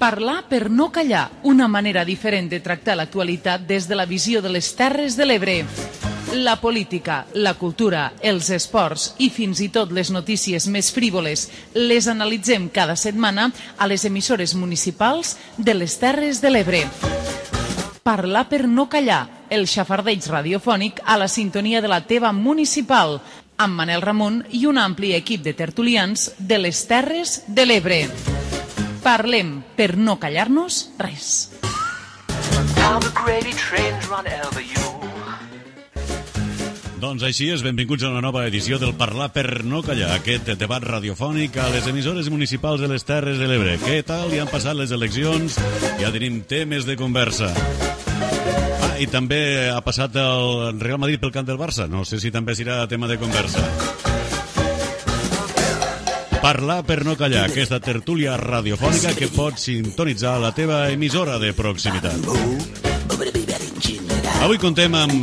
Parlar per no callar, una manera diferent de tractar l'actualitat des de la visió de les Terres de l'Ebre. La política, la cultura, els esports i fins i tot les notícies més frívoles les analitzem cada setmana a les emissores municipals de les Terres de l'Ebre. Parlar per no callar, el xafardeig radiofònic a la sintonia de la teva municipal, amb Manel Ramon i un ampli equip de tertulians de les Terres de l'Ebre. Parlem per no callar-nos res. Doncs així és, benvinguts a una nova edició del Parlar per no callar, aquest debat radiofònic a les emissores municipals de les Terres de l'Ebre. Què tal? Ja han passat les eleccions, ja tenim temes de conversa. I també ha passat el Real Madrid pel camp del Barça, no sé si també serà tema de conversa. Parlar per no callar, aquesta tertúlia radiofònica que pots sintonitzar a la teva emissora de proximitat. Avui contem amb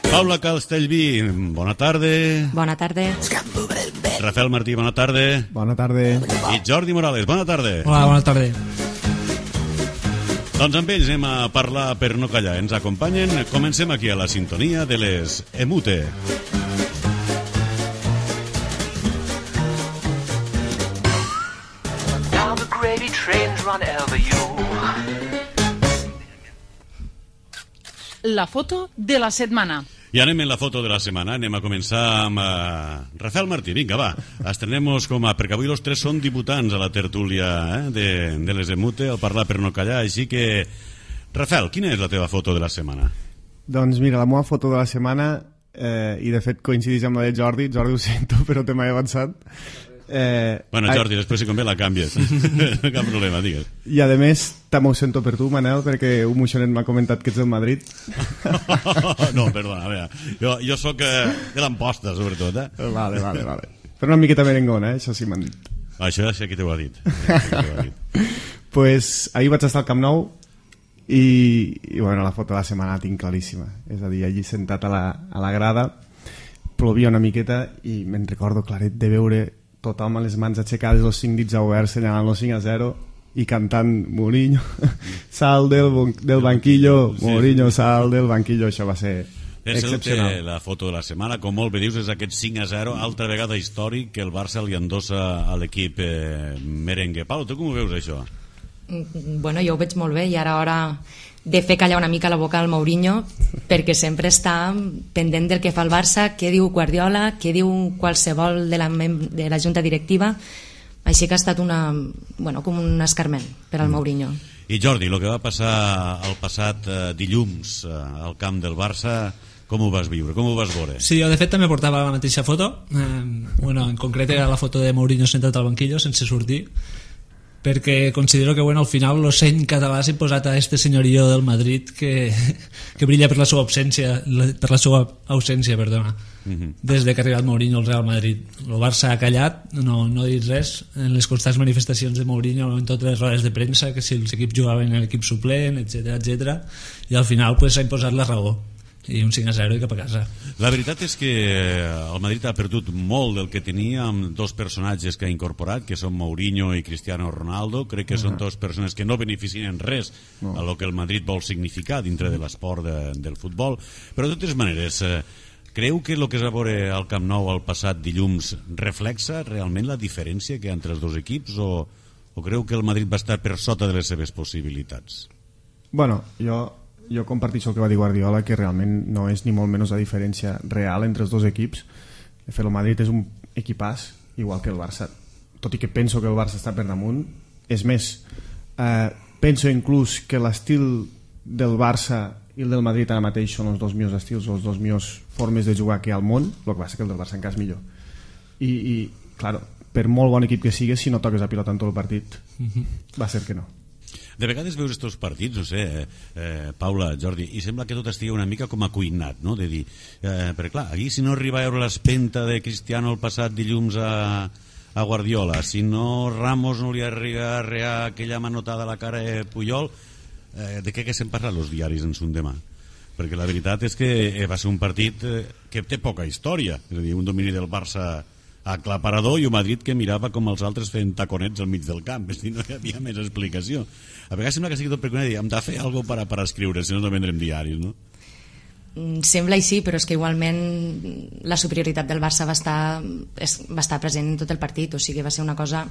Paula Castellví, bona tarda. Bona tarda. Rafael Martí, bona tarda. Bona tarda. I Jordi Morales, bona tarda. Hola, bona tarda. Doncs amb ells anem a parlar per no callar. Ens acompanyen, comencem aquí a la sintonia de les EMUTE. La foto de la setmana. I anem en la foto de la setmana. Anem a començar amb Rafael Martí. Vinga, va. Estrenem-nos perquè avui els tres són debutants a la tertúlia de les EMUTE, al Parlar per no callar. Així que, Rafael, quina és la teva foto de la setmana? Doncs mira, la meva foto de la setmana, i de fet coincideix amb la de Jordi, ho sento, però te m'he avançat. Bueno, Jordi, després si convé la canvies. No cap problema, digues. I a més també ho sento per tu, Manel, perquè un moixonet m'ha comentat que ets del Madrid. No, perdona, a veure, jo sóc de l'Amposta, sobretot, Vale. Però una miqueta merengona, això sí m'han dit. Això ja sé qui t'ho ha dit. Pues ahir vaig estar al Camp Nou i bueno, la foto de la setmana la tinc claríssima. És a dir, allí sentat a la grada, plovia una miqueta i me'n recordo claret de veure tothom amb les mans aixecades, els 5 dits oberts, senyalant el 5-0 i cantant Mourinho, sal del banquillo, Mourinho, sal del banquillo. Això va ser excepcional. La foto de la setmana, com molt bé dius, és aquest 5-0, altra vegada històric que el Barça li endossa a l'equip merengue. Pau, tu com ho veus, això? Bueno, jo ho veig molt bé i ara hora de fer callar una mica la boca al Mourinho, perquè sempre està pendent del que fa el Barça, què diu Guardiola, què diu qualsevol de la junta directiva. Així que ha estat com un escarment per al Mourinho. I Jordi, el que va passar el passat dilluns al camp del Barça, com ho vas viure, com ho vas veure? Sí, jo de fet també portava la mateixa foto. En concret era la foto de Mourinho sentat al banquillo sense sortir, perquè considero que al final l'ocell català s'ha imposat a este senyorio del Madrid que brilla per la seva ausència, des de que ha arribat Mourinho al Real Madrid. El Barça ha callat, no ha dit res en les constants manifestacions de Mourinho, en totes les rodes de premsa, que si els equips jugaven en l'equip suplent, etc. I al final s'ha imposat la raó i un 5-0 i cap a casa. La veritat és que el Madrid ha perdut molt del que tenia amb dos personatges que ha incorporat, que són Mourinho i Cristiano Ronaldo. Crec que són dues persones que no beneficien res a lo que el Madrid vol significar dintre de l'esport del futbol. Però de totes maneres, creu que el que es va veure al Camp Nou el passat dilluns reflexa realment la diferència que hi ha entre els dos equips o creu que el Madrid va estar per sota de les seves possibilitats? Bueno, jo comparteixo el que va dir Guardiola, que realment no és ni molt menys la diferència real entre els dos equips. De fet, el Madrid és un equipàs igual que el Barça, tot i que penso que el Barça està per damunt. És més, penso inclús que l'estil del Barça i el del Madrid ara mateix són els dos millors estils o les dues millors formes de jugar que hi ha al món. El que passa que el del Barça encara és millor i claro, per molt bon equip que sigues, si no toques a pilota en tot el partit va ser que no. De vegades veus estos partits, no sé, Paula, Jordi, i sembla que tot estigui una mica com acuinat, no? De dir, perquè clar, aquí si no arriba a veure l'espenta de Cristiano el passat dilluns a Guardiola, si no Ramos no li arriba a arrear aquella manotada a la cara de Puyol, de què se'n parlen els diaris en son demà? Perquè la veritat és que va ser un partit que té poca història, és a dir, un domini del Barça aclaparador, i un Madrid que mirava com els altres feien taconets al mig del camp, és dir, no hi havia més explicació. A vegades sembla que sigui tot per dir, hem de fer alguna cosa per escriure, si no vendrem diaris, no? Sembla així, però és que igualment la superioritat del Barça va estar present en tot el partit, o sigui, va ser una cosa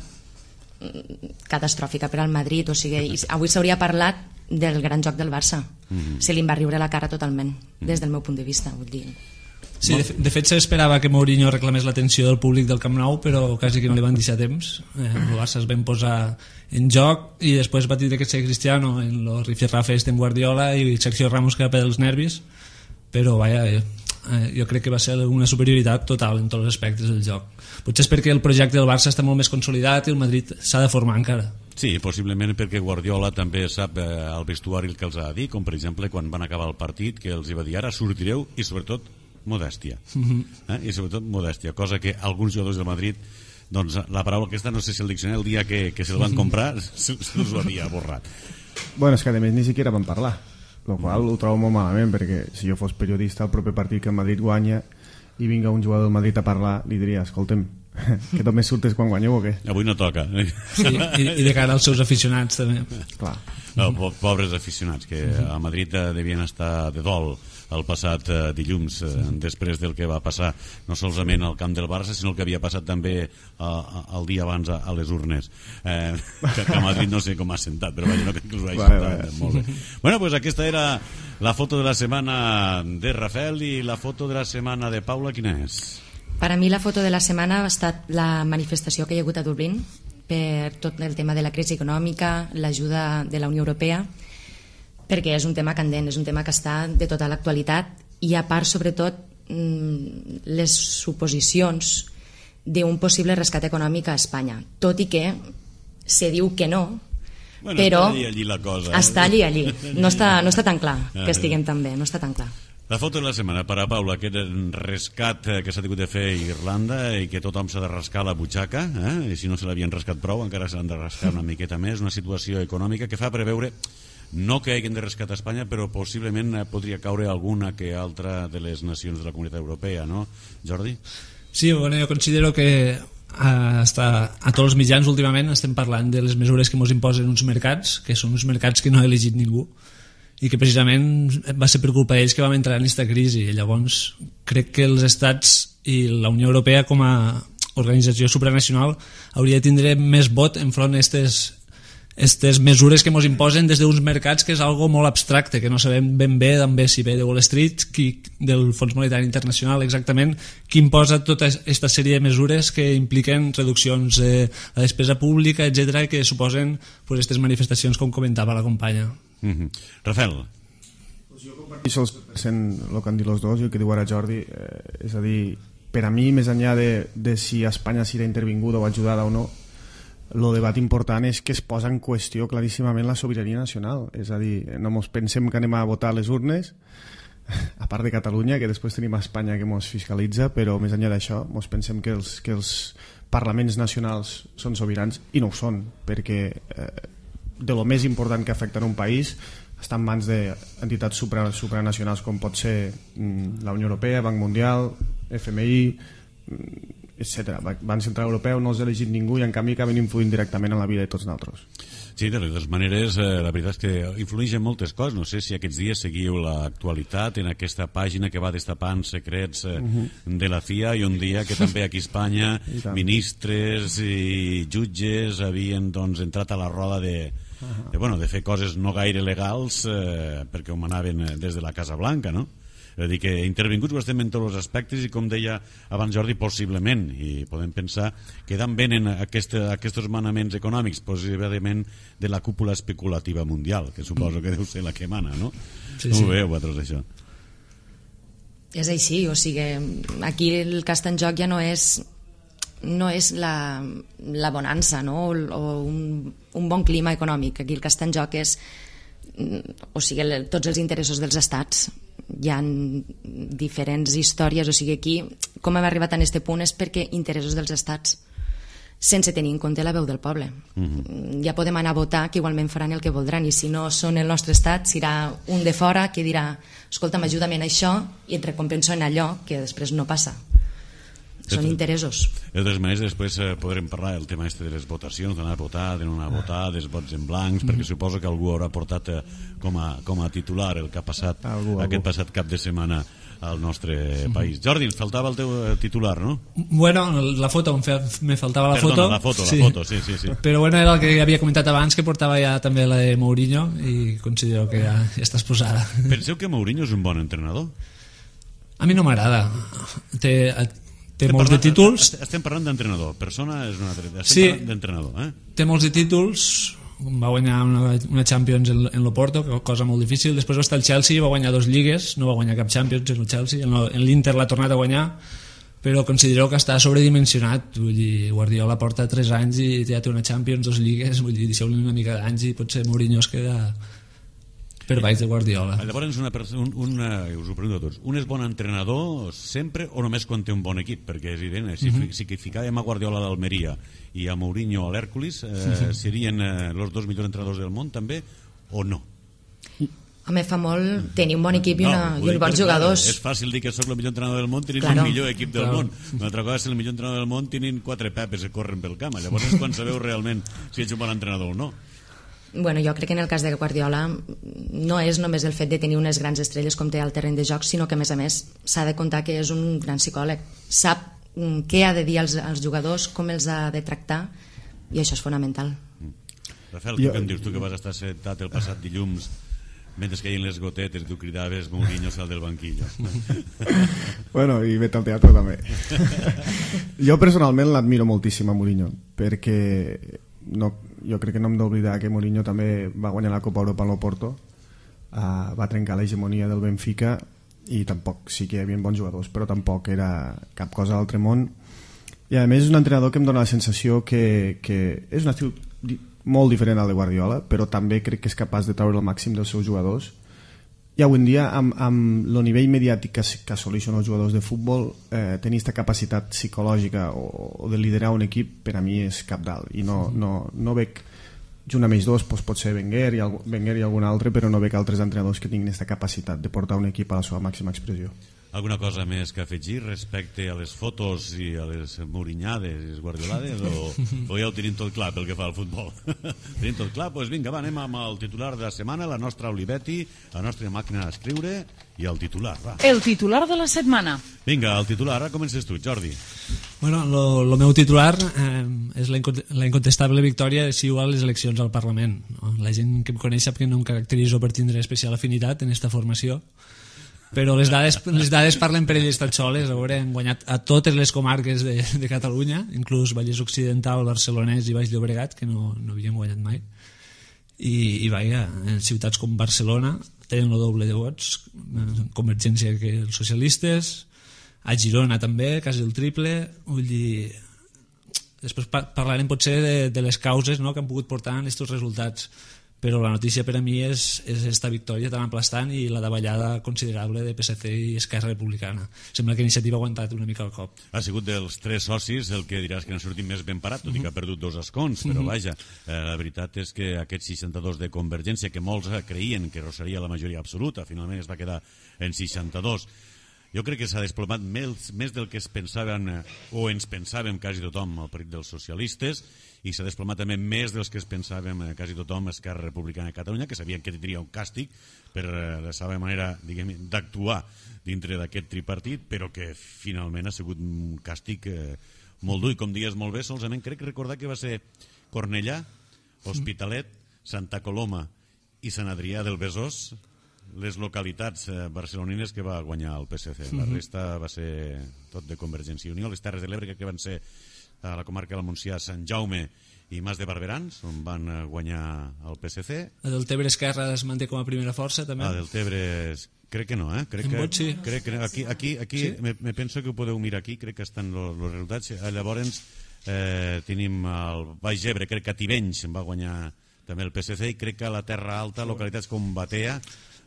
catastròfica per al Madrid, o sigui, avui s'hauria parlat del gran joc del Barça. Se li va riure la cara totalment, des del meu punt de vista, vull dir. Sí, de fet s'esperava que Mourinho reclamés l'atenció del públic del Camp Nou, però quasi que no li van deixar temps. El Barça es van posar en joc i després va tindre que ser Cristiano en los rifirrafes amb Guardiola i Sergio Ramos que va per els nervis, però vaja, jo crec que va ser una superioritat total en tots els aspectes del joc. Potser és perquè el projecte del Barça està molt més consolidat i el Madrid s'ha de formar encara. Sí, possiblement perquè Guardiola també sap al vestuari el que els ha de dir, com per exemple quan van acabar el partit, que els va dir ara sortireu i sobretot modèstia. I sobretot modèstia, cosa que alguns jugadors del Madrid, doncs la paraula aquesta no sé si el diccionari el dia que se'l van comprar se'ls ho havia borrat. Bueno, és que a més ni siquiera van parlar, el qual ho trobo molt malament, perquè si jo fos periodista el proper partit que el Madrid guanya i vinga un jugador del Madrid a parlar, li diria, escolta'm, que només surtes quan guanyeu o què? Avui no toca. Sí, i de cara als seus aficionats també. Clar. No, pobres aficionats que a Madrid devien estar de dol el passat dilluns, després del que va passar no solament al camp del Barça, sinó el que havia passat també el dia abans a les urnes, que a Madrid no sé com ha sentat, però vaja, no crec que us ho hagi sentat molt bé. Bueno, pues aquesta era la foto de la setmana de Rafael, i la foto de la setmana de Paula, quina és? Per a mi la foto de la setmana ha estat la manifestació que hi ha hagut a Dublín per tot el tema de la crisi econòmica, l'ajuda de la Unió Europea, perquè és un tema candent, és un tema que està de tota l'actualitat, i a part, sobretot, les suposicions d'un possible rescat econòmic a Espanya, tot i que se diu que no, bueno, però està allí la cosa, està allí. No està tan clar que estiguem tan bé, no està tan clar. La foto de la setmana per a Paula, aquest rescat que s'ha tingut de fer a Irlanda i que tothom s'ha de rascar la butxaca, i si no se l'havien rascat prou encara s'han de rascar una miqueta més, una situació econòmica que fa preveure no que hagin de rescatar Espanya, però possiblement podria caure alguna que altra de les nacions de la Comunitat Europea, no, Jordi? Sí, bueno, jo considero que a tots els mitjans últimament estem parlant de les mesures que ens imposen uns mercats, que són uns mercats que no ha elegit ningú, i que precisament va ser per culpa d'ells que vam entrar en aquesta crisi. I llavors crec que els estats i la Unió Europea com a organització supranacional hauria de tindre més vot enfront aquestes mesures que ens imposen des d'uns mercats, que és algo molt abstracte, que no sabem ben bé també si ve de Wall Street, del Fons Monetari Internacional, exactament qui imposa tota aquesta sèrie de mesures que impliquen reduccions de la despesa pública, etc., que suposen aquestes manifestacions com comentava la companya. Rafael. Jo comparteixo el que han dit els dos i el que diu ara Jordi, és a dir, per a mi, més enllà de si Espanya serà intervinguda o ajudada o no, el debat important és que es posa en qüestió claríssimament la sobirania nacional, és a dir, no ens pensem que anem a votar a les urnes, a part de Catalunya, que després tenim a Espanya que ens fiscalitza, però més enllà d'això ens pensem que els parlaments nacionals són sobirans, i no ho són, perquè de lo més important que afecta en un país està en mans d'entitats supranacionals com pot ser la Unió Europea, Banc Mundial, FMI, etc. Banc Central Europeu no els ha elegit ningú i en canvi acaben influint directament en la vida de tots nosaltres. Sí, de totes maneres, la veritat és que influeix en moltes coses. No sé si aquests dies seguiu l'actualitat en aquesta pàgina que va destapant secrets de la CIA, i un dia que també aquí a Espanya ministres i jutges havien entrat a la roda de fer coses no gaire legals perquè ho manaven des de la Casa Blanca, no? És a dir, que intervinguts ho estem en tots els aspectes, i com deia abans Jordi, possiblement, i podem pensar que d'on venen aquests manaments econòmics, possiblement de la cúpula especulativa mundial, que suposo que deu ser la que mana, no? Sí, Com ho veieu vosaltres, això? És així, o sigui, aquí el que està en joc ja no és la bonança, no? O un bon clima econòmic. Aquí el que està en joc és tots els interessos dels estats. Hi ha diferents històries, o sigui, aquí com hem arribat a aquest punt és perquè interessos dels estats, sense tenir en compte la veu del poble. Ja podem anar a votar, que igualment faran el que voldran, i si no són el nostre estat serà un de fora que dirà escolta'm, ajuda'm en això i et recompenso en allò, que després no passa. són interessos. De totes maneres, després podrem parlar del tema de les votacions, d'anar a votar, de no anar a votar, dels vots en blancs, perquè suposo que algú haurà portat com a titular el que ha passat aquest passat cap de setmana al nostre país. Jordi, ens faltava el teu titular, no? Bueno, la foto, me faltava la foto. Perdona, la foto, sí. Però bueno, era el que havia comentat abans, que portava ja també la de Mourinho, i considero que ja està exposada. Penseu que Mourinho és un bon entrenador? A mi no m'agrada. Té molts de títols. Estem parlant d'entrenador, persona és una altra. Sí, parlant d'entrenador. Té molts de títols, va guanyar una Champions en l'Oporto, cosa molt difícil. Després va estar al Chelsea, va guanyar 2 lligues, no va guanyar cap Champions en el Chelsea. En l'Inter l'ha tornat a guanyar, però considero que està sobredimensionat. Vull dir, Guardiola porta 3 anys i ja té una Champions, 2 lligues, vull dir, deixeu-li una mica d'anys i potser Mourinho es queda per baix de Guardiola. Llavors, us ho pregunto a tots, un és bon entrenador sempre o només quan té un bon equip? Perquè és evident, si ficàvem a Guardiola d'Almeria i a Mourinho a l'Hèrcules, serien els 2 millors entrenadors del món també o no? A mi fa molt tenir un bon equip i uns bons jugadors. És fàcil dir que sóc el millor entrenador del món tenint el millor equip del món. Una altra cosa és el millor entrenador del món tenint 4 pepes que corren pel camp. Llavors és quan sabeu realment si ets un bon entrenador o no. Bueno, jo crec que en el cas de Guardiola no és només el fet de tenir unes grans estrelles com té al terreny de joc, sinó que a més s'ha de comptar que és un gran psicòleg, sap què ha de dir als jugadors, com els ha de tractar, i això és fonamental. Rafael, què em dius? Tu que vas estar sentat el passat dilluns mentre caien les gotetes, tu cridaves Mourinho sal del banquillo. Bueno, i vet al teatre també. Jo personalment l'admiro moltíssim a Mourinho, perquè jo crec que no hem d'oblidar que Mourinho també va guanyar la Copa Europa en l'Oporto, va trencar l'hegemonia del Benfica, i tampoc, sí que hi havia bons jugadors, però tampoc era cap cosa d'altre món, i a més és un entrenador que em dona la sensació que és un estil molt diferent al de Guardiola, però també crec que és capaç de treure el màxim dels seus jugadors. I avui en dia, amb el nivell mediàtic que assoleixen els jugadors de futbol, tenir aquesta capacitat psicològica o de liderar un equip, per a mi és cabdal, i no veig, junt amb ells dos, pot ser Wenger i algun altre, però no veig altres entrenadors que tinguin aquesta capacitat de portar un equip a la seva màxima expressió. Alguna cosa més que afegir respecte a les fotos i a les mourinyades i les guardiolades, o ja ho tenim tot clar pel que fa al futbol? Tenim tot clar? Doncs vinga, anem amb el titular de la setmana, la nostra Olivetti, la nostra màquina d'escriure, i el titular, va. El titular de la setmana. Vinga, el titular, ara comences tu, Jordi. Bueno, el meu titular és la incontestable victòria de CiU a les eleccions al Parlament. La gent que em coneix sap que no em caracteritzo per tindre especial afinitat en esta formació, però les dades parlen per elles tan soles. Han guanyat a totes les comarques de Catalunya, inclús Vallès Occidental, Barcelonès i Baix Llobregat, que no havíem guanyat mai, i vaja, en ciutats com Barcelona tenen el doble de vots, Convergència que els socialistes, a Girona també, quasi el triple. Vull dir, després parlarem potser de les causes, no?, que han pogut portar en aquests resultats, però la notícia per a mi és esta victòria tan aplastant i la davallada considerable de PSC i Esquerra Republicana. Sembla que Iniciativa ha aguantat una mica el cop. Ha sigut dels 3 socis el que diràs que n'ha sortit més ben parat, tot i que ha perdut 2 escons, però vaja, la veritat és que aquests 62 de Convergència, que molts creien que rosaria la majoria absoluta, finalment es va quedar en 62. Jo crec que s'ha desplomat més del que es pensaven, o ens pensàvem quasi tothom, el Partit dels Socialistes, i s'ha desplomat també més dels que es pensàvem quasi tothom, Esquerra Republicana de Catalunya, que sabien que tindria un càstig per la seva manera, diguem, d'actuar dintre d'aquest tripartit, però que finalment ha sigut un càstig molt dur. I com dies molt bé, solament crec recordar que va ser Cornellà, Hospitalet, Santa Coloma i Sant Adrià del Besòs, les localitats barcelonines que va guanyar el PSC. La resta va ser tot de Convergència i Unió. Les Terres de l'Ebre crec que van ser a la comarca del Montsià, Sant Jaume i Mas de Barberans, on van guanyar el PSC. A Deltebre Esquerra es manté com a primera força també. A Deltebre crec que no, crec que aquí sí? Me penso que ho podeu mirar aquí, crec que estan els resultats. Llavors tenim el Baix Ebre, crec que a Tivenys va guanyar també el PSC, i crec que a la Terra Alta, localitats com Batea,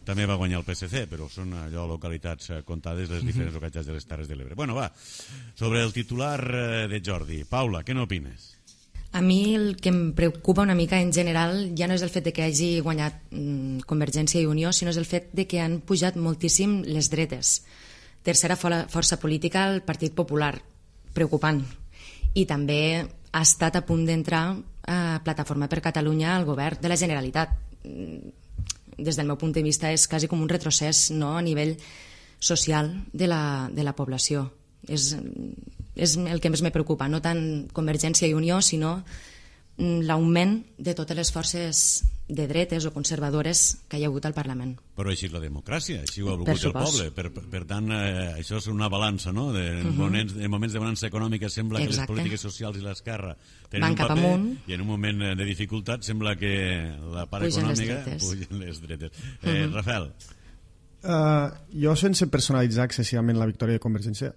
també va guanyar el PSC, però són allò localitats comptades, les diferents localitats de les Terres de l'Ebre. Bueno, va, sobre el titular de Jordi. Paula, què n'opines? A mi el que em preocupa una mica en general ja no és el fet de que hagi guanyat Convergència i Unió, sinó és el fet de que han pujat moltíssim les dretes. Tercera força política, el Partit Popular. preocupant. I també ha estat a punt d'entrar a Plataforma per Catalunya al govern de la Generalitat. Des del meu punt de vista és quasi com un retrocés, no?, a nivell social de la població. És el que més me preocupa, no tant Convergència i Unió, sinó l'augment de totes les forces de dretes o conservadores que hi ha hagut al Parlament. Però així és la democràcia, així ho ha volgut el poble. Per tant, això és una balança, no? En moments de bonança econòmica sembla que les polítiques socials i l'esquerra tenen un paper, i en un moment de dificultat sembla que la part econòmica pugen les dretes. Rafael. Jo, sense personalitzar excessivament la victòria de Convergència,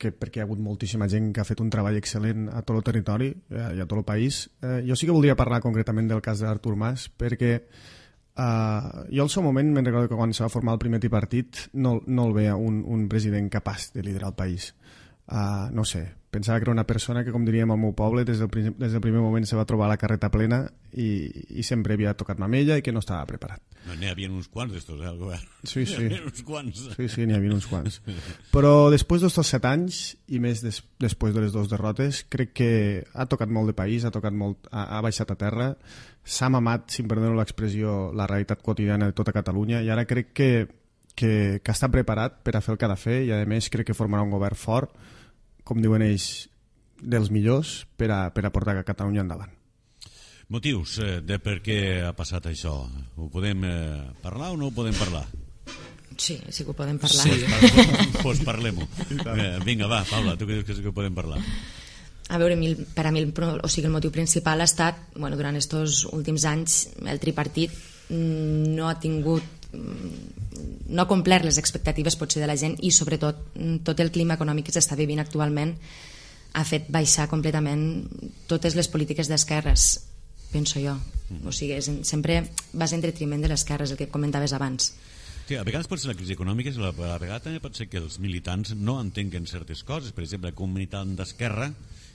perquè hi ha hagut moltíssima gent que ha fet un treball excel·lent a tot el territori i a tot el país. Jo sí que voldria parlar concretament del cas d'Artur Mas, perquè jo al seu moment me'n recordo que quan se va formar el primer tripartit no el veia un president capaç de liderar el país. No sé, pensava que era una persona que, com diríem al meu poble, des del primer moment se va trobar la carreta plena i sempre havia tocat mamella i que no estava preparat. No, n'hi havia uns quants d'estos, al govern. Sí. N'hi havia uns quants. Sí, n'hi havia uns quants. Però després d'estos 7 anys, i més després de les 2 derrotes, crec que ha tocat molt de país, ha baixat a terra, s'ha mamat, si em perdoneu l'expressió, la realitat quotidiana de tota Catalunya, i ara crec que està preparat per a fer el que ha de fer, i a més crec que formarà un govern fort, com diuen ells, dels millors, per a portar Catalunya endavant. Motius de per què ha passat això. Ho podem parlar o no ho podem parlar? Sí que ho podem parlar. Doncs parlem-ho. Vinga, va, Paula, tu creus que sí que ho podem parlar? A veure, per a mi el motiu principal ha estat, durant aquests últims anys, el tripartit no ha complert les expectatives potser de la gent, i sobretot tot el clima econòmic que s'està vivint actualment ha fet baixar completament totes les polítiques d'esquerres, penso jo. O sigui, sempre vas en detriment de l'esquerra, és el que comentaves abans. Sí, a vegades pot ser la crisi econòmica, a la vegada també pot ser que els militants no entenguen certes coses. Per exemple, que un militant d'esquerra,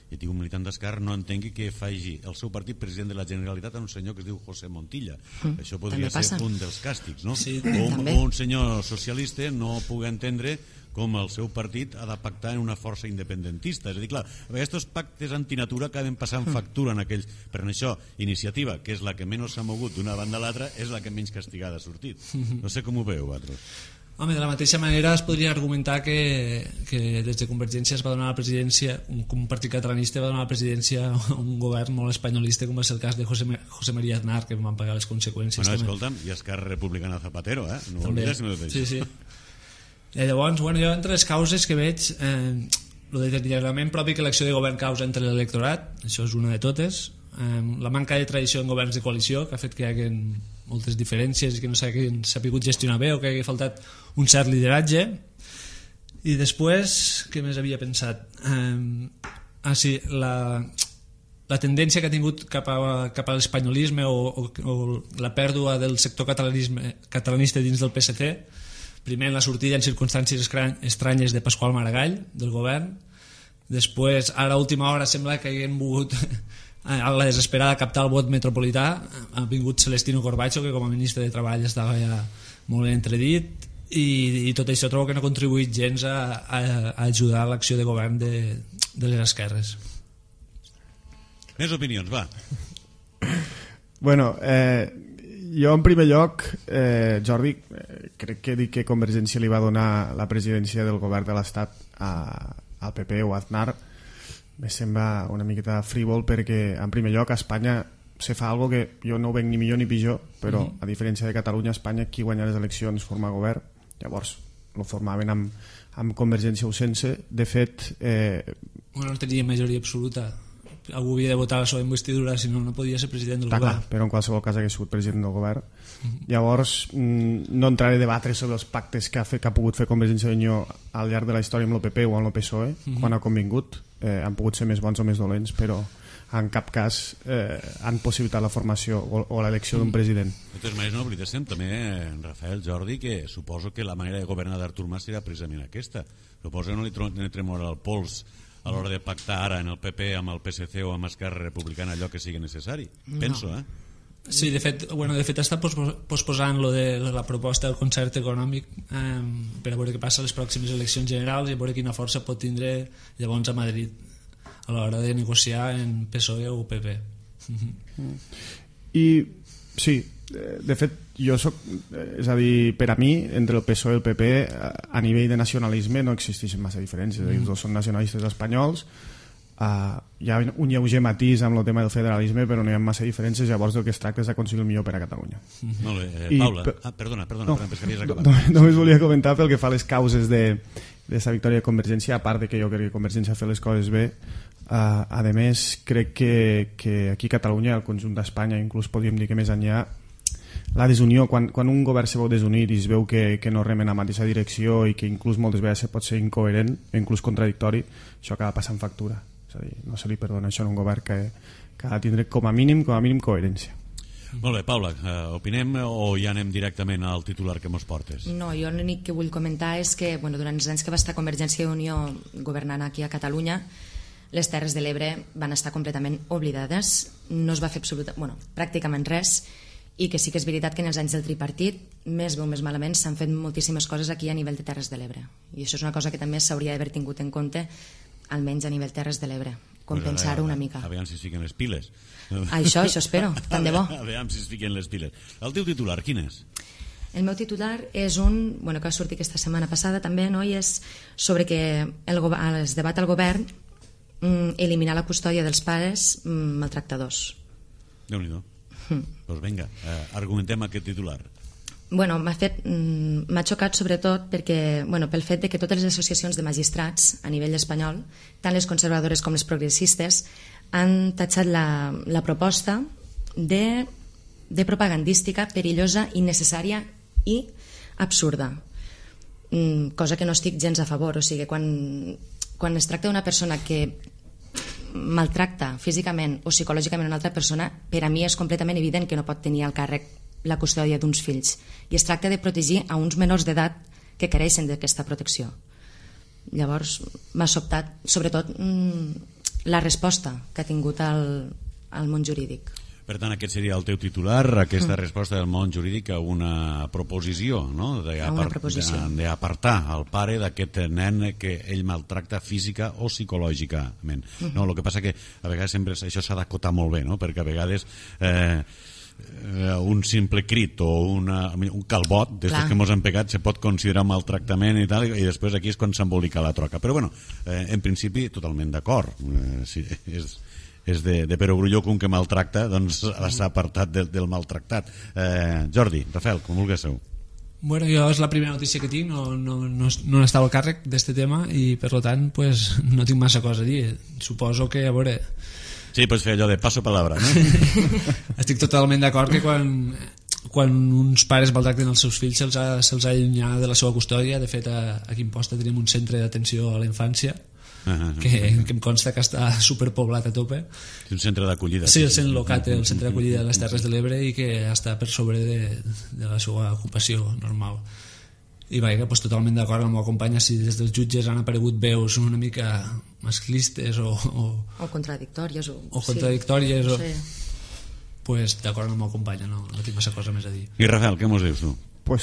i dic un militant d'esquerra, no entengui que faci el seu partit president de la Generalitat a un senyor que es diu José Montilla. Això podria ser un dels càstigs, no? Sí, o un senyor socialista no pugui entendre com el seu partit ha de pactar en una força independentista. És a dir, clar, aquests pactes antinatura acaben passant factura en aquells. Per això, Iniciativa, que és la que menys s'ha mogut d'una banda a l'altra, és la que menys castigada ha sortit. No sé com ho veieu, vosaltres. Home, de la mateixa manera es podria argumentar que des de Convergència es va donar la presidència, un partit catalanista va donar la presidència a un govern molt espanyolista, com va ser el cas de José María Aznar, que van pagar les conseqüències. Bueno, escolta'm, i Esquerra Republicana Zapatero, no ho oblides. Sí. Llavors, jo entre les causes que veig, el deteriorament propi que l'acció de govern causa entre l'electorat, això és una de totes, la manca de tradició en governs de coalició, que ha fet que hi hagi moltes diferències i que no s'ha pogut gestionar bé o que hagi faltat un cert lideratge. I després, què més havia pensat? La tendència que ha tingut cap a l'espanyolisme o la pèrdua del sector catalanista dins del PSC, primer en la sortida en circumstàncies estranyes de Pasqual Maragall del govern, després ara a última hora sembla que haguem volgut a la desesperada captar el vot metropolità, ha vingut Celestino Corbacho, que com a ministre de Treball estava ja molt entredit, i tot això trobo que no ha contribuït gens a ajudar l'acció de govern de les esquerres. Més opinions, va. Bueno, jo en primer lloc, Jordi, crec que dir que Convergència li va donar la presidència del govern de l'Estat al PP o a Aznar me sembla una miqueta frívol, perquè en primer lloc a Espanya se fa algo que jo no ho veig ni millor ni pitjor, però a diferència de Catalunya, a Espanya qui guanya les eleccions forma govern, llavors lo formaven amb Convergència o sense. De fet, no tenia majoria absoluta, algú havia de votar la seva investidura, si no podia ser president del govern. Però en qualsevol cas hagués sigut president del govern. Llavors no entraré a debatre sobre els pactes que ha pogut fer Convergència i Unió al llarg de la història amb el PP o amb el PSOE, quan ha convingut. Han pogut ser més bons o més dolents, però en cap cas han possibilitat la formació o l'elecció d'un president. De totes maneres, no oblidéssim també, Rafael, Jordi, que suposo que la manera de governar d'Artur Mas serà precisament aquesta. Suposo que no li tremora el pols a l'hora de pactar ara en el PP amb el PSC o amb Esquerra Republicana allò que sigui necessari. Penso, Sí, de fet està posposant lo de la proposta del concert econòmic per a veure què passa a les pròximes eleccions generals i a veure quina força pot tindre llavors a Madrid a l'hora de negociar en PSOE o PP. I sí, de fet jo soc, és a dir, per a mi entre el PSOE i el PP a nivell de nacionalisme no existeixen massa diferències, els dos són nacionalistes espanyols. Hi ha un lleuger matís amb el tema del federalisme, però no hi ha massa diferències, llavors del que es tracta és d'aconseguir el millor per a Catalunya. Molt bé, Paula. Perdona, que havies acabat. Només volia comentar pel que fa a les causes d'aquesta victòria de Convergència, a part de que jo crec que Convergència ha fet les coses bé, a més crec que aquí a Catalunya, al conjunt d'Espanya, inclús podríem dir que més enllà, la desunió, quan un govern se veu desunit i es veu que no remen a la mateixa direcció i que inclús moltes vegades pot ser incoherent, inclús contradictori, això acaba passant factura. És a dir, no se li perdona això en un govern que ha de tindre com a mínim coherència. Molt bé, Paula, opinem o ja anem directament al titular que mos portes? No, jo l'únic que vull comentar és que durant els anys que va estar Convergència i Unió governant aquí a Catalunya, les Terres de l'Ebre van estar completament oblidades, no es va fer pràcticament res, i que sí que és veritat que en els anys del tripartit, més bé o més malament, s'han fet moltíssimes coses aquí a nivell de Terres de l'Ebre, i això és una cosa que també s'hauria d'haver tingut en compte, almenys a nivell Terres de l'Ebre, compensar-ho una mica. Aviam si es fiquen les piles. Això espero, tant de bo. Aviam si es fiquen les piles. El teu titular, quin és? El meu titular és un, que va sortir aquesta setmana passada també, i és sobre que es debat al govern eliminar la custòdia dels pares maltractadors. Déu-n'hi-do. Doncs vinga, argumentem aquest titular. M'ha xocat sobretot perquè, pel fet de que totes les associacions de magistrats a nivell espanyol, tant les conservadores com les progressistes, han tatxat la proposta de propagandística, perillosa, innecessària i absurda, cosa que no estic gens a favor. O sigui, quan es tracta d'una persona que maltracta físicament o psicològicament una altra persona, per a mi és completament evident que no pot tenir al càrrec la custòdia d'uns fills, i es tracta de protegir a uns menors d'edat que careixen d'aquesta protecció. Llavors m'ha sobtat sobretot la resposta que ha tingut el món jurídic. Per tant, aquest seria el teu titular, aquesta resposta del món jurídic a una proposició, no? D'apartar el pare d'aquest nen que ell maltracta física o psicològicament. No, el que passa que a vegades sempre això s'ha d'acotar molt bé, no? Perquè a vegades un simple crit o un calbot d'estos que mos han pegat se pot considerar maltractament i tal, i després aquí és quan s'embolica la troca. Però bueno, en principi totalment d'acord. Si és de perogrulló que un que maltracta doncs s'ha apartat del maltractat. Jordi, Rafael, com vulgueu. Jo és la primera notícia que tinc, no estava al càrrec d'aquest tema i per tant no tinc massa cosa a dir. Suposo que, a veure... Sí, pots fer allò de passo palabra, no? Estic totalment d'acord que quan uns pares maltracten els seus fills se'ls ha d'allunyar de la seva custòdia. De fet, aquí a Imposta tenim un centre d'atenció a la infància que em consta que està superpoblat a tope. Un centre d'acollida. Sí, el centre d'acollida de les Terres de l'Ebre, i que està per sobre de la seva ocupació normal. I totalment d'acord amb la companya, si des dels jutges han aparegut veus una mica masclistes o contradictòries d'acord amb la companya, no tinc massa cosa més a dir. I Rafael, què mos dius tu?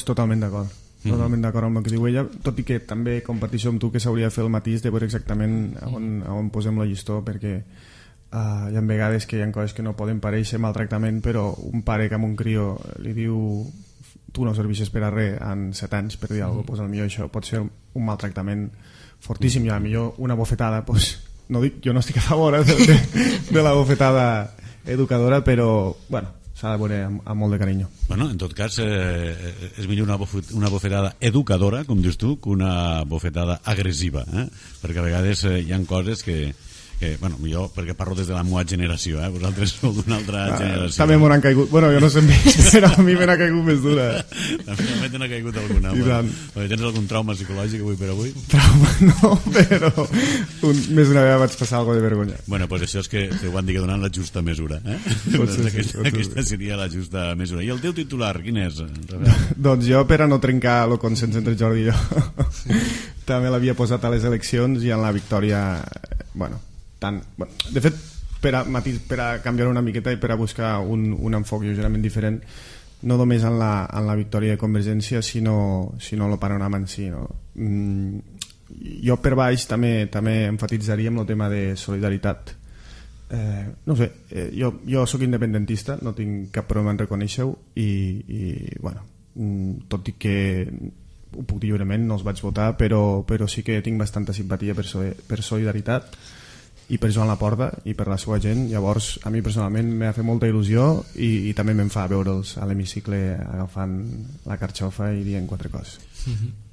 Totalment d'acord. Totalment d'acord amb el que diu ella, tot i que també comparteixo amb tu que s'hauria de fer el matís de veure exactament on posem la llistó, perquè hi ha vegades que hi ha coses que no poden parèixer maltractament, però un pare que amb un crió li diu tu no serveixes per a res en 7 anys, per dir alguna cosa, potser això pot ser un maltractament fortíssim, i millor una bofetada, no dic, jo no estic a favor de la bofetada educadora, però s'ha de veure amb molt de carinyo. En tot cas, és millor una bofetada educadora, com dius tu, que una bofetada agressiva, perquè a vegades hi ha coses que jo, perquè parlo des de la meva generació, vosaltres sou d'una altra generació. També m'ho han caigut, jo no sé més, però a mi me n'ha caigut més dura. També te n'ha caigut alguna. Tens algun trauma psicològic avui per avui? Trauma no, però més d'una vegada vaig passar alguna de vergonya. Doncs això és que ho van dir que donant la justa mesura. Aquesta seria la justa mesura. I el teu titular, quin és? Doncs jo, per a no trencar el consens entre Jordi i jo, també l'havia posat a les eleccions i en la victòria... de fet, per a canviar una miqueta i per a buscar un enfoc lleugerament diferent, no només en la victòria de Convergència, sinó el panorama en si, no? Jo per baix també enfatitzaria amb el tema de solidaritat. No sé, jo sóc independentista, no tinc cap problema en reconèixer-ho i bueno, tot i que ho puc dir lliurement, no els vaig votar, però sí que tinc bastanta simpatia per Solidaritat i per Joan Laporta i per la seva gent. Llavors a mi personalment m'ha fet molta il·lusió i també me'n fa veure'ls a l'hemicicle agafant la carxofa i dient quatre coses.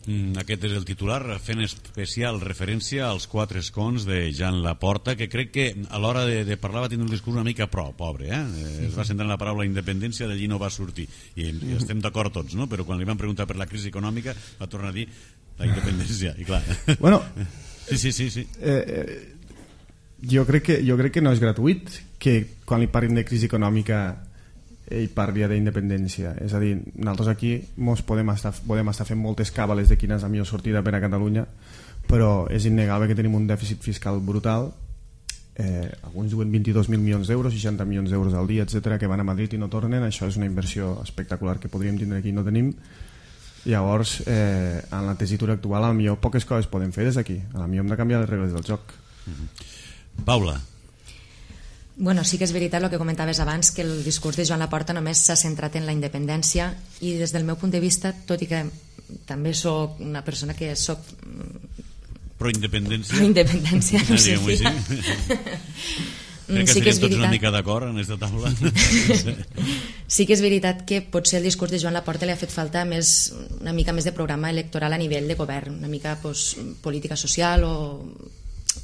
Aquest és el titular, fent especial referència als 4 escons de Joan Laporta, que crec que a l'hora de parlar va tenir un discurs una mica pobre, es va centrar en la paraula independència, d'allí no va sortir i estem d'acord tots, no? Però quan li van preguntar per la crisi econòmica va tornar a dir la independència i clar, bueno, sí. Jo crec que no és gratuït que quan li parlin de crisi econòmica ell parlia d'independència. És a dir, nosaltres aquí podem estar fent moltes càbales de quina és la millor sortida per a Catalunya, però és innegable que tenim un dèficit fiscal brutal, alguns diuen 22.000 milions d'euros, 60 milions d'euros al dia, etc, que van a Madrid i no tornen. Això és una inversió espectacular que podríem tindre aquí i no tenim. Llavors, en la tessitura actual, a lo millor poques coses podem fer des d'aquí. A lo millor hem de canviar les regles del joc. Paula. Bueno, sí que és veritat el que comentaves abans, que el discurs de Joan Laporta només s'ha centrat en la independència i des del meu punt de vista, tot i que també soc una persona que soc pro-independència, no sé si crec que estaríem tots una mica d'acord en aquesta taula. Sí que és veritat que potser el discurs de Joan Laporta li ha fet falta una mica més de programa electoral a nivell de govern, una mica política social o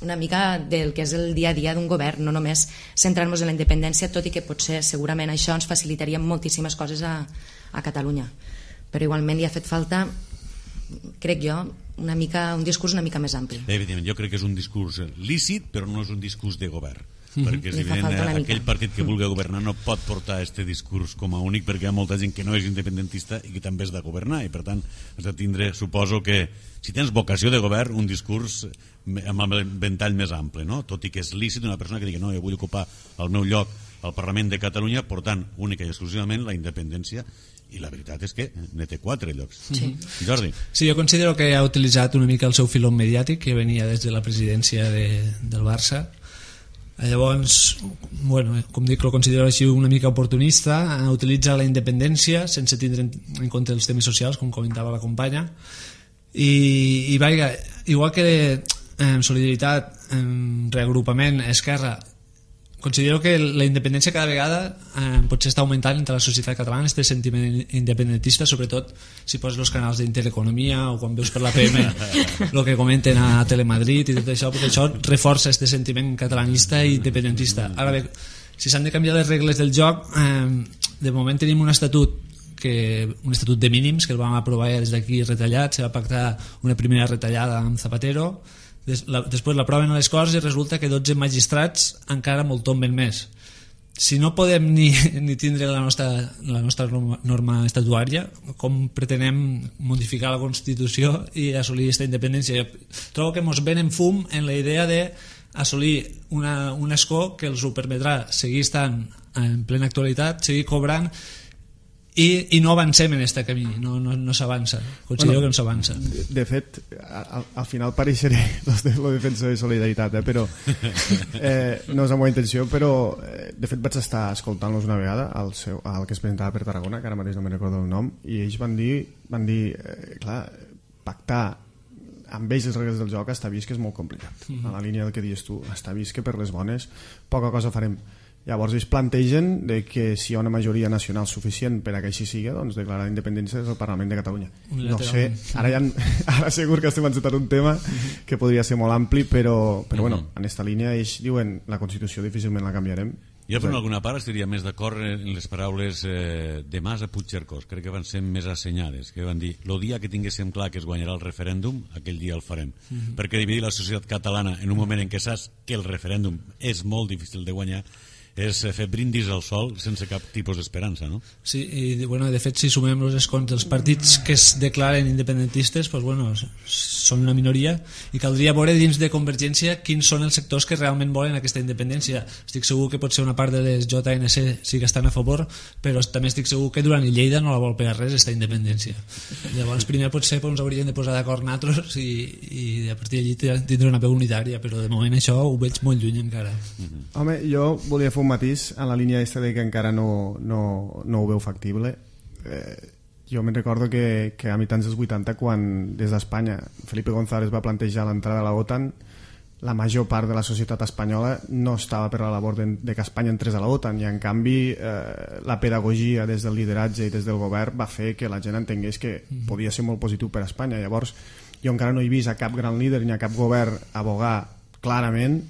una mica del que és el dia a dia d'un govern, no només centrar-nos en la independència, tot i que potser segurament això ens facilitaria moltíssimes coses a Catalunya, però igualment li ha fet falta, crec jo, un discurs una mica més ampli. Evidentment, jo crec que és un discurs lícit, però no és un discurs de govern, perquè és evident aquell partit que vulgui governar no pot portar aquest discurs com a únic, perquè hi ha molta gent que no és independentista i que també és de governar, i per tant has de tindre, suposo que si tens vocació de govern, un discurs amb el ventall més ample, no? Tot i que és lícit una persona que digui no, jo vull ocupar el meu lloc al Parlament de Catalunya portant única i exclusivament la independència, i la veritat és que ne té 4 llocs. Sí. Jordi. Sí, jo considero que ha utilitzat una mica el seu filó mediàtic que venia des de la presidència del Barça. Llavors, bueno, com dic, lo considero així una mica oportunista, utilitza la independència sense tindre en compte els temes socials, com comentava la companya, i vaja, igual que Solidaritat, Reagrupament, Esquerra, considero que la independència cada vegada potser està augmentant entre la societat catalana, este sentiment independentista, sobretot si poses els canals d'Intereconomia o quan veus per la PM el que comenten a Telemadrid i tot això, perquè això reforça este sentiment catalanista i independentista. Ara bé, si s'han de canviar les regles del joc, de moment tenim un estatut de mínims que el vam aprovar des d'aquí retallat, se va pactar una primera retallada amb Zapatero, després l'aproven a les Corts i resulta que 12 magistrats encara molt tomben més. Si no podem ni tindre la nostra norma estatutària, com pretenem modificar la Constitució i assolir aquesta independència? Jo trobo que ens venen fum en la idea d'assolir un escó que els ho permetrà seguir estant en plena actualitat, seguir cobrant, i no avancem en aquest camí, no s'avança, considero que no s'avança. De fet, al final pareixeré el defensor de Solidaritat, però no és la meva intenció, però de fet vaig estar escoltant-los una vegada al que es presentava per Tarragona, que ara mateix no me'n recordo el nom, i ells van dir clar, pactar amb ells les regles del joc està vist que és molt complicat, a la línia del que dius tu, està vist que per les bones poca cosa farem. Llavors ells plantegen que si hi ha una majoria nacional suficient per a que així sigui, doncs declarar la independència des del Parlament de Catalunya. No sé, ara segur que estem encetant un tema que podria ser molt ampli, però bueno, en aquesta línia ells diuen la Constitució difícilment la canviarem. Jo per alguna part estaria més d'acord en les paraules de Mas a Puigcercós, crec que van ser més assenyades, que van dir, el dia que tinguéssim clar que es guanyarà el referèndum, aquell dia el farem, perquè dividir la societat catalana en un moment en què saps que el referèndum és molt difícil de guanyar és fer brindis al sol sense cap tipus d'esperança, no? Sí, i bueno, de fet, si sumem els escons dels partits que es declaren independentistes, pues, bueno, són una minoria, i caldria veure dins de Convergència quins són els sectors que realment volen aquesta independència. Estic segur que potser una part de les JNC sí que estan a favor, però també estic segur que Duran i Lleida no la vol pegar res, aquesta independència. Llavors, primer potser ens hauríem de posar d'acord nosaltres i a partir d'allí tindre una veu unitària, però de moment això ho veig molt lluny encara. Home, jo volia fer un matís en la línia aquesta de que encara no ho veu factible. Jo me'n recordo que a mitjans dels 80, quan des d'Espanya Felipe González va plantejar l'entrada a la OTAN, la major part de la societat espanyola no estava per la labor de que Espanya entrés a la OTAN, i en canvi la pedagogia des del lideratge i des del govern va fer que la gent entengués que podia ser molt positiu per a Espanya. Llavors jo encara no he vist a cap gran líder ni a cap govern abogar clarament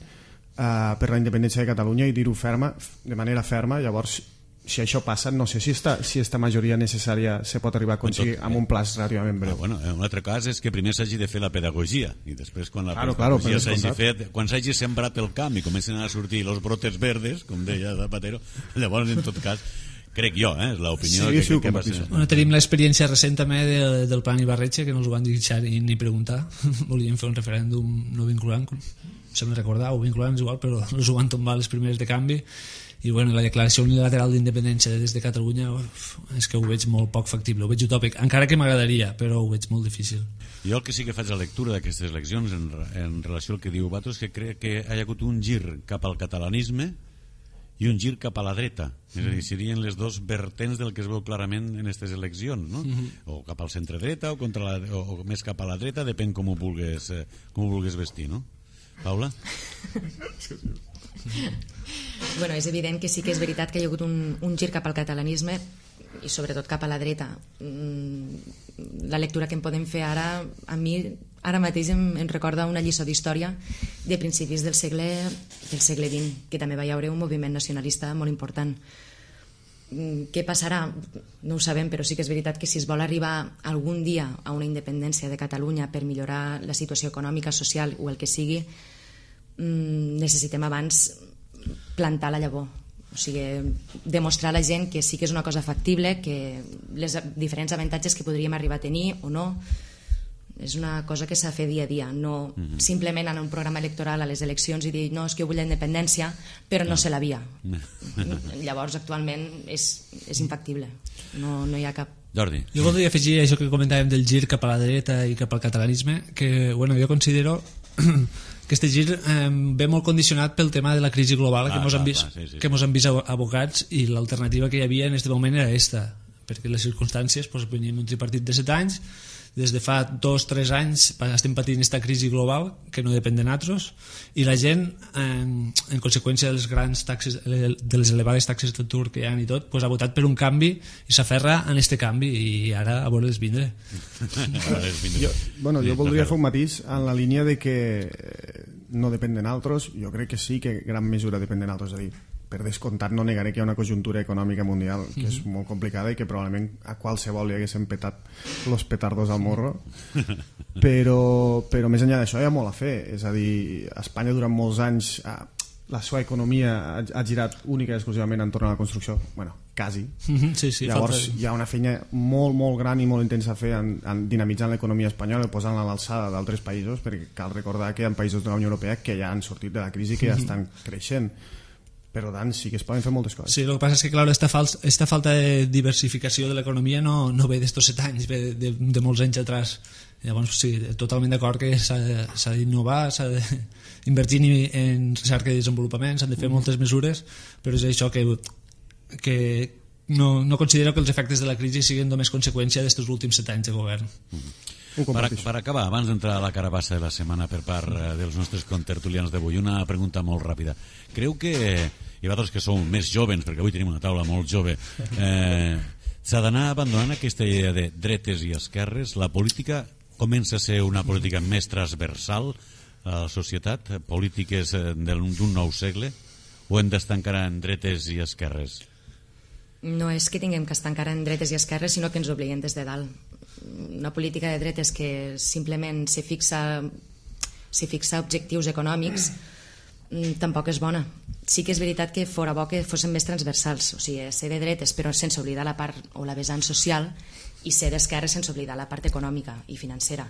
per la independència de Catalunya i dir-ho de manera ferma. Llavors, si això passa, no sé si esta majoria necessària se pot arribar a aconseguir amb un plaç relativament breu. Bueno, un altre cas és que primer s'hagi de fer la pedagogia i després quan la pedagogia s'hagi fet, quan s'hagi sembrat el camp i comencen a sortir els brotes verdes, com deia Zapatero, llavors en tot cas crec jo, és l'opinió que va ser. Bueno, tenim l'experiència recent també del Plan Ibarretxe, que no els ho van deixar ni preguntar. Volien fer un referèndum no vinculant, sembla recordar, o vinculant és igual, però els ho van tombar les primeres de canvi. I bueno, la declaració unilateral d'independència des de Catalunya és que ho veig molt poc factible, ho veig utòpic, encara que m'agradaria, però ho veig molt difícil. Jo el que sí que faig la lectura d'aquestes eleccions en relació al que diu Bato és que crec que hi ha hagut un gir cap al catalanisme i un gir cap a la dreta, és a dir, serien les dos vertents del que es veu clarament en aquestes eleccions, no? O cap al centre-dreta o més cap a la dreta, depèn com ho vulguis vestir, no? Paula? Bueno, és evident que sí que és veritat que hi ha hagut un gir cap al catalanisme i sobretot cap a la dreta. La lectura que en podem fer ara, a mi ara mateix em recorda una lliçó d'història de principis del segle XX, que també va haver un moviment nacionalista molt important. Què passarà? No ho sabem, però sí que és veritat que si es vol arribar algun dia a una independència de Catalunya per millorar la situació econòmica, social o el que sigui, necessitem abans plantar la llavor, o sigui, demostrar a la gent que sí que és una cosa factible, que les diferents avantatges que podríem arribar a tenir o no, és una cosa que s'ha de fer dia a dia, no simplement anar a un programa electoral a les eleccions i dir no, és que jo vull la independència, però no sé la via. Llavors actualment és infactible, no hi ha cap. Jordi. Jo voldria afegir això que comentàvem del gir cap a la dreta i cap al catalanisme, que bueno, jo considero que este gir ve molt condicionat pel tema de la crisi global que mos han vist abocats, i l'alternativa que hi havia en aquest moment era aquesta, perquè les circumstàncies veníem un tripartit de 7 anys, des de fa 2-3 anys estem patint aquesta crisi global que no depèn de nosaltres, i la gent en conseqüència de les grans taxes, de les elevades taxes d'atur que hi ha i tot, ha votat per un canvi i s'aferra en este canvi, i ara a veure'ls vindre. Jo voldria fer un matís en la línia de que no depèn de nosaltres. Jo crec que sí que gran mesura depèn de nosaltres, és a dir, per descomptat no negaré que hi ha una conjuntura econòmica mundial que és molt complicada i que probablement a qualsevol li haguessin petat los petardos al morro, però més enllà d'això hi ha molt a fer. És a dir, Espanya durant molts anys la seva economia ha girat única i exclusivament entorn a la construcció, bueno, quasi. Llavors hi ha una feina molt, molt gran i molt intensa a fer en dinamitzant l'economia espanyola i posant-la a l'alçada d'altres països, perquè cal recordar que hi ha països de la Unió Europea que ja han sortit de la crisi, que ja estan creixent. Per tant, sí que es poden fer moltes coses. Sí, el que passa és que, clar, esta falta de diversificació de l'economia no ve d'estos 7 anys, ve de molts anys atrás. Llavors, sí, totalment d'acord que s'ha d'innovar, s'ha d'invertir en recerca i desenvolupament, s'han de fer moltes mesures, però és això que no considero que els efectes de la crisi siguin només conseqüència d'estos últims 7 anys de govern. Per acabar, abans d'entrar a la carabassa de la setmana per part dels nostres contertulians d'avui, una pregunta molt ràpida. Creu que, i vosaltres que sou més jovens, perquè avui tenim una taula molt jove, s'ha d'anar abandonant aquesta idea de dretes i esquerres? La política comença a ser una política més transversal a la societat, polítiques d'un nou segle, o hem d'estar encara en dretes i esquerres? No és que tinguem que estar encara en dretes i esquerres, sinó que ens obliguem des de dalt. Una política de dretes que simplement se fixa objectius econòmics tampoc és bona. sí que és veritat que fora bo que fossin més transversals, o sigui, ser de dretes però sense oblidar la part o la vessant social, i ser d'esquerra sense oblidar la part econòmica i financera.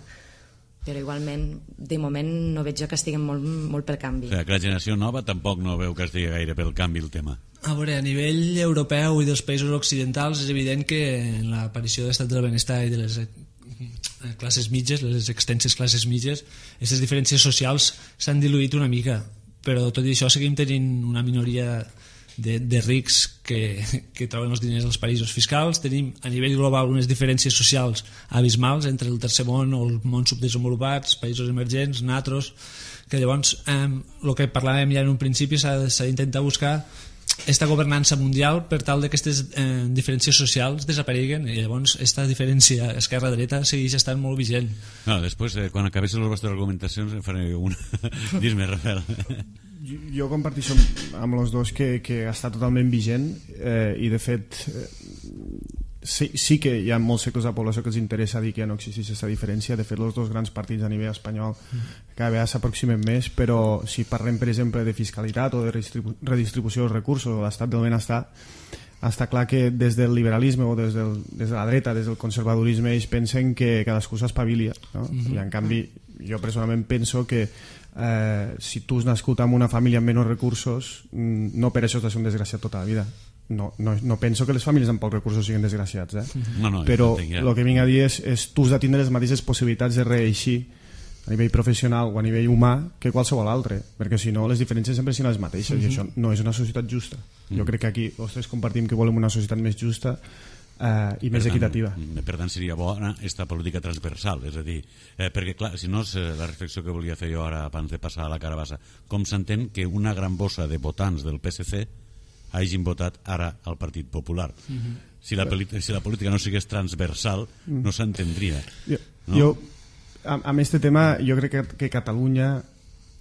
Però igualment, de moment, no veig jo que estiguem molt pel canvi. O sigui, que la generació nova tampoc no veu que estigui gaire pel canvi el tema. A veure, a nivell europeu i dels països occidentals és evident que en l'aparició de l'estat del benestar i de les classes mitges, les extenses classes mitges, aquestes diferències socials s'han diluït una mica, però tot i això seguim tenint una minoria de rics que troben els diners als paradisos fiscals. Tenim a nivell global unes diferències socials abismals entre el tercer món o el món subdesenvolupats, països emergents, natros, que llavors el que parlàvem ja en un principi s'ha d'intentar buscar esta governança mundial per tal que aquestes diferències socials desapareguen, i llavors aquesta diferència esquerra-dreta segueix estant molt vigent. No, després, quan acabessin les vostres argumentacions en faré una. Dis-me, Rafael. Jo comparteixo amb els dos que està totalment vigent, i de fet sí que hi ha molts sectors de la població que els interessa dir que ja no existeix aquesta diferència. De fet, els dos grans partits a nivell espanyol cada vegada s'aproximen més, però si parlem, per exemple, de fiscalitat o de redistribució dels recursos o l'estat del benestar, està clar que des del liberalisme o des de la dreta, des del conservadorisme, ells pensen que cadascú s'espavilia, no? I en canvi jo personalment penso que si tu has nascut en una família amb menys recursos, no per això has de ser un desgraciat tota la vida. No penso que les famílies amb pocs recursos siguin desgraciats, però el que vinc a dir és tu has de tindre les mateixes possibilitats de reeixir a nivell professional o a nivell humà que qualsevol altre, perquè si no les diferències sempre siguin les mateixes, i això no és una societat justa. Jo crec que aquí els tres compartim que volem una societat més justa i més equitativa. Per tant seria bona aquesta política transversal, és a dir, perquè clar, si no és la reflexió que volia fer jo ara abans de passar a la carabassa, com s'entén que una gran bossa de votants del PSC hagin votat ara al Partit Popular? Si la política no sigués transversal no s'entendria, no? Jo amb este tema jo crec que Catalunya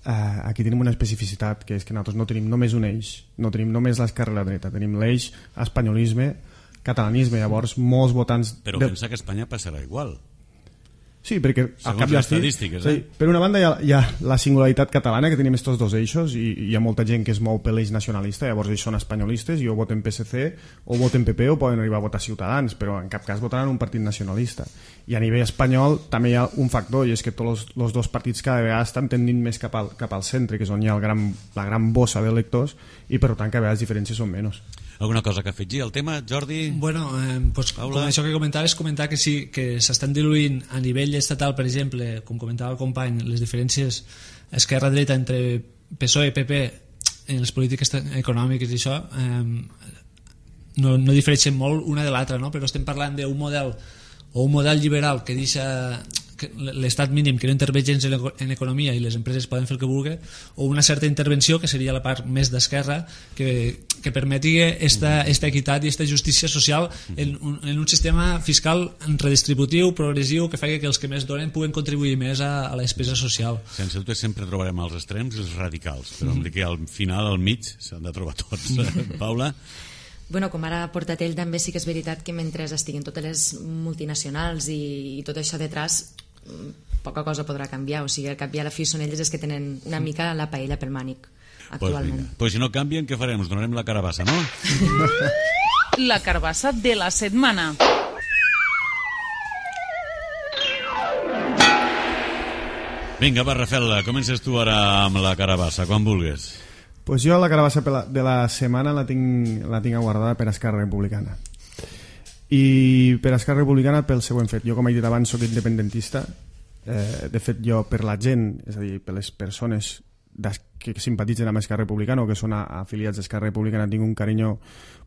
aquí tenim una especificitat, que és que nosaltres no tenim només un eix, no tenim només l'esquerra i la dreta, tenim l'eix espanyolisme, catalanisme. Llavors molts votants... Però pensa que a Espanya passarà igual. Sí, perquè segons les estadístiques, per una banda hi ha la singularitat catalana, que tenim estos dos eixos, i hi ha molta gent que es mou per l'eix nacionalista, llavors ells són espanyolistes i o voten PSC o voten PP o poden arribar a votar Ciutadans, però en cap cas votaran un partit nacionalista. I a nivell espanyol també hi ha un factor, i és que tots els dos partits cada vegada estan tendint més cap al centre, que és on hi ha la gran bossa d'electors, i per tant cada vegada les diferències són menys. Alguna cosa que afegir al tema, Jordi? Bueno, pues, com això que comentaves, comentar que sí, que s'estan diluint a nivell estatal, per exemple, com comentava el company, les diferències esquerra-dreta entre PSOE i PP en les polítiques econòmiques i això no difereixen molt una de l'altra, no? Però estem parlant d'un model o un model liberal que deixa l'estat mínim, que no intervé gens en economia i les empreses poden fer el que vulgui, o una certa intervenció, que seria la part més d'esquerra, que permeti esta equitat i esta justícia social en un sistema fiscal redistributiu, progressiu, que faci que els que més donen puguen contribuir més a la despesa social. Sense dubte sempre trobarem els extrems i els radicals, però em dic que al final, al mig, s'han de trobar tots. Paula? Bueno, com ara ha portat ell, també sí que és veritat que mentre estiguin totes les multinacionals i tot això detrás, poca cosa podrà canviar. O sigui, al cap i a la fi són elles els que tenen una mica la paella pel mànic actualment. Pues si no canvien, què farem? Us donarem la carabassa, no? La carabassa de la setmana. Vinga, va, Rafael, comences tu ara amb la carabassa, quan vulguis. Pues jo la carabassa de la setmana la tinc aguardada per Esquerra Republicana. I per Esquerra Republicana pel següent fet. Jo, com he dit abans, soc independentista. De fet, jo per la gent, és a dir, per les persones que simpatitzen amb Esquerra Republicana o que són afiliats d'Esquerra Republicana, tinc un carinyo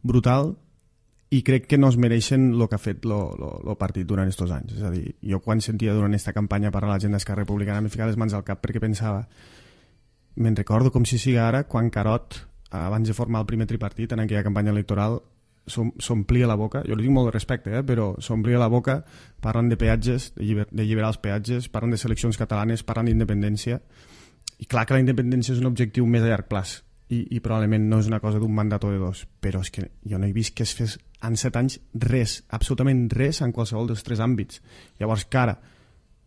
brutal i crec que no es mereixen el que ha fet el partit durant aquests anys. És a dir, jo quan sentia durant aquesta campanya parlar la gent d'Esquerra Republicana m'he ficat les mans al cap perquè pensava, me'n recordo com si sigui ara, quan Carot, abans de formar el primer tripartit en aquella campanya electoral, s'omplia la boca, jo li tinc molt de respecte, però s'omplia la boca parlant de peatges, d'alliberar els peatges, parlant de seleccions catalanes, parlant d'independència, i clar que la independència és un objectiu més a llarg plaç i probablement no és una cosa d'un mandat o de dos, però és que jo no he vist que es fes en 7 anys res, absolutament res en qualsevol dels 3 àmbits. Llavors que ara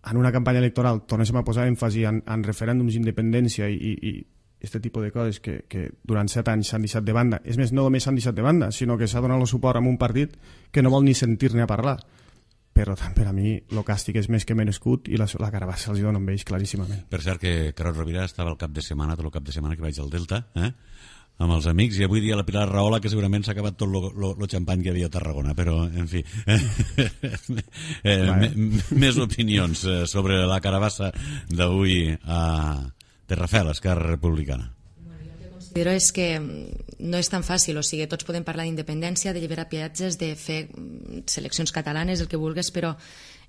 en una campanya electoral tornéssim a posar èmfasi en referèndums d'independència i aquest tipus de coses que durant 7 anys s'han deixat de banda, és més, no només s'han deixat de banda, sinó que s'ha donat el suport a un partit que no vol ni sentir-ne a parlar. Però per a mi el càstig és més que merescut i la carabassa els dona amb ells claríssimament. Per cert que Carod Rovira estava el cap de setmana, tot el cap de setmana que vaig al Delta, amb els amics, i avui dia la Pilar Rahola, que segurament s'ha acabat tot el xampany que hi havia a Tarragona, però, en fi, més opinions sobre la carabassa d'avui a Terrafel, Esquerra Republicana. Considero és que no és tan fàcil, o sigui, tots podem parlar d'independència, d'alliberar peatges, de fer seleccions catalanes, el que vulguis, però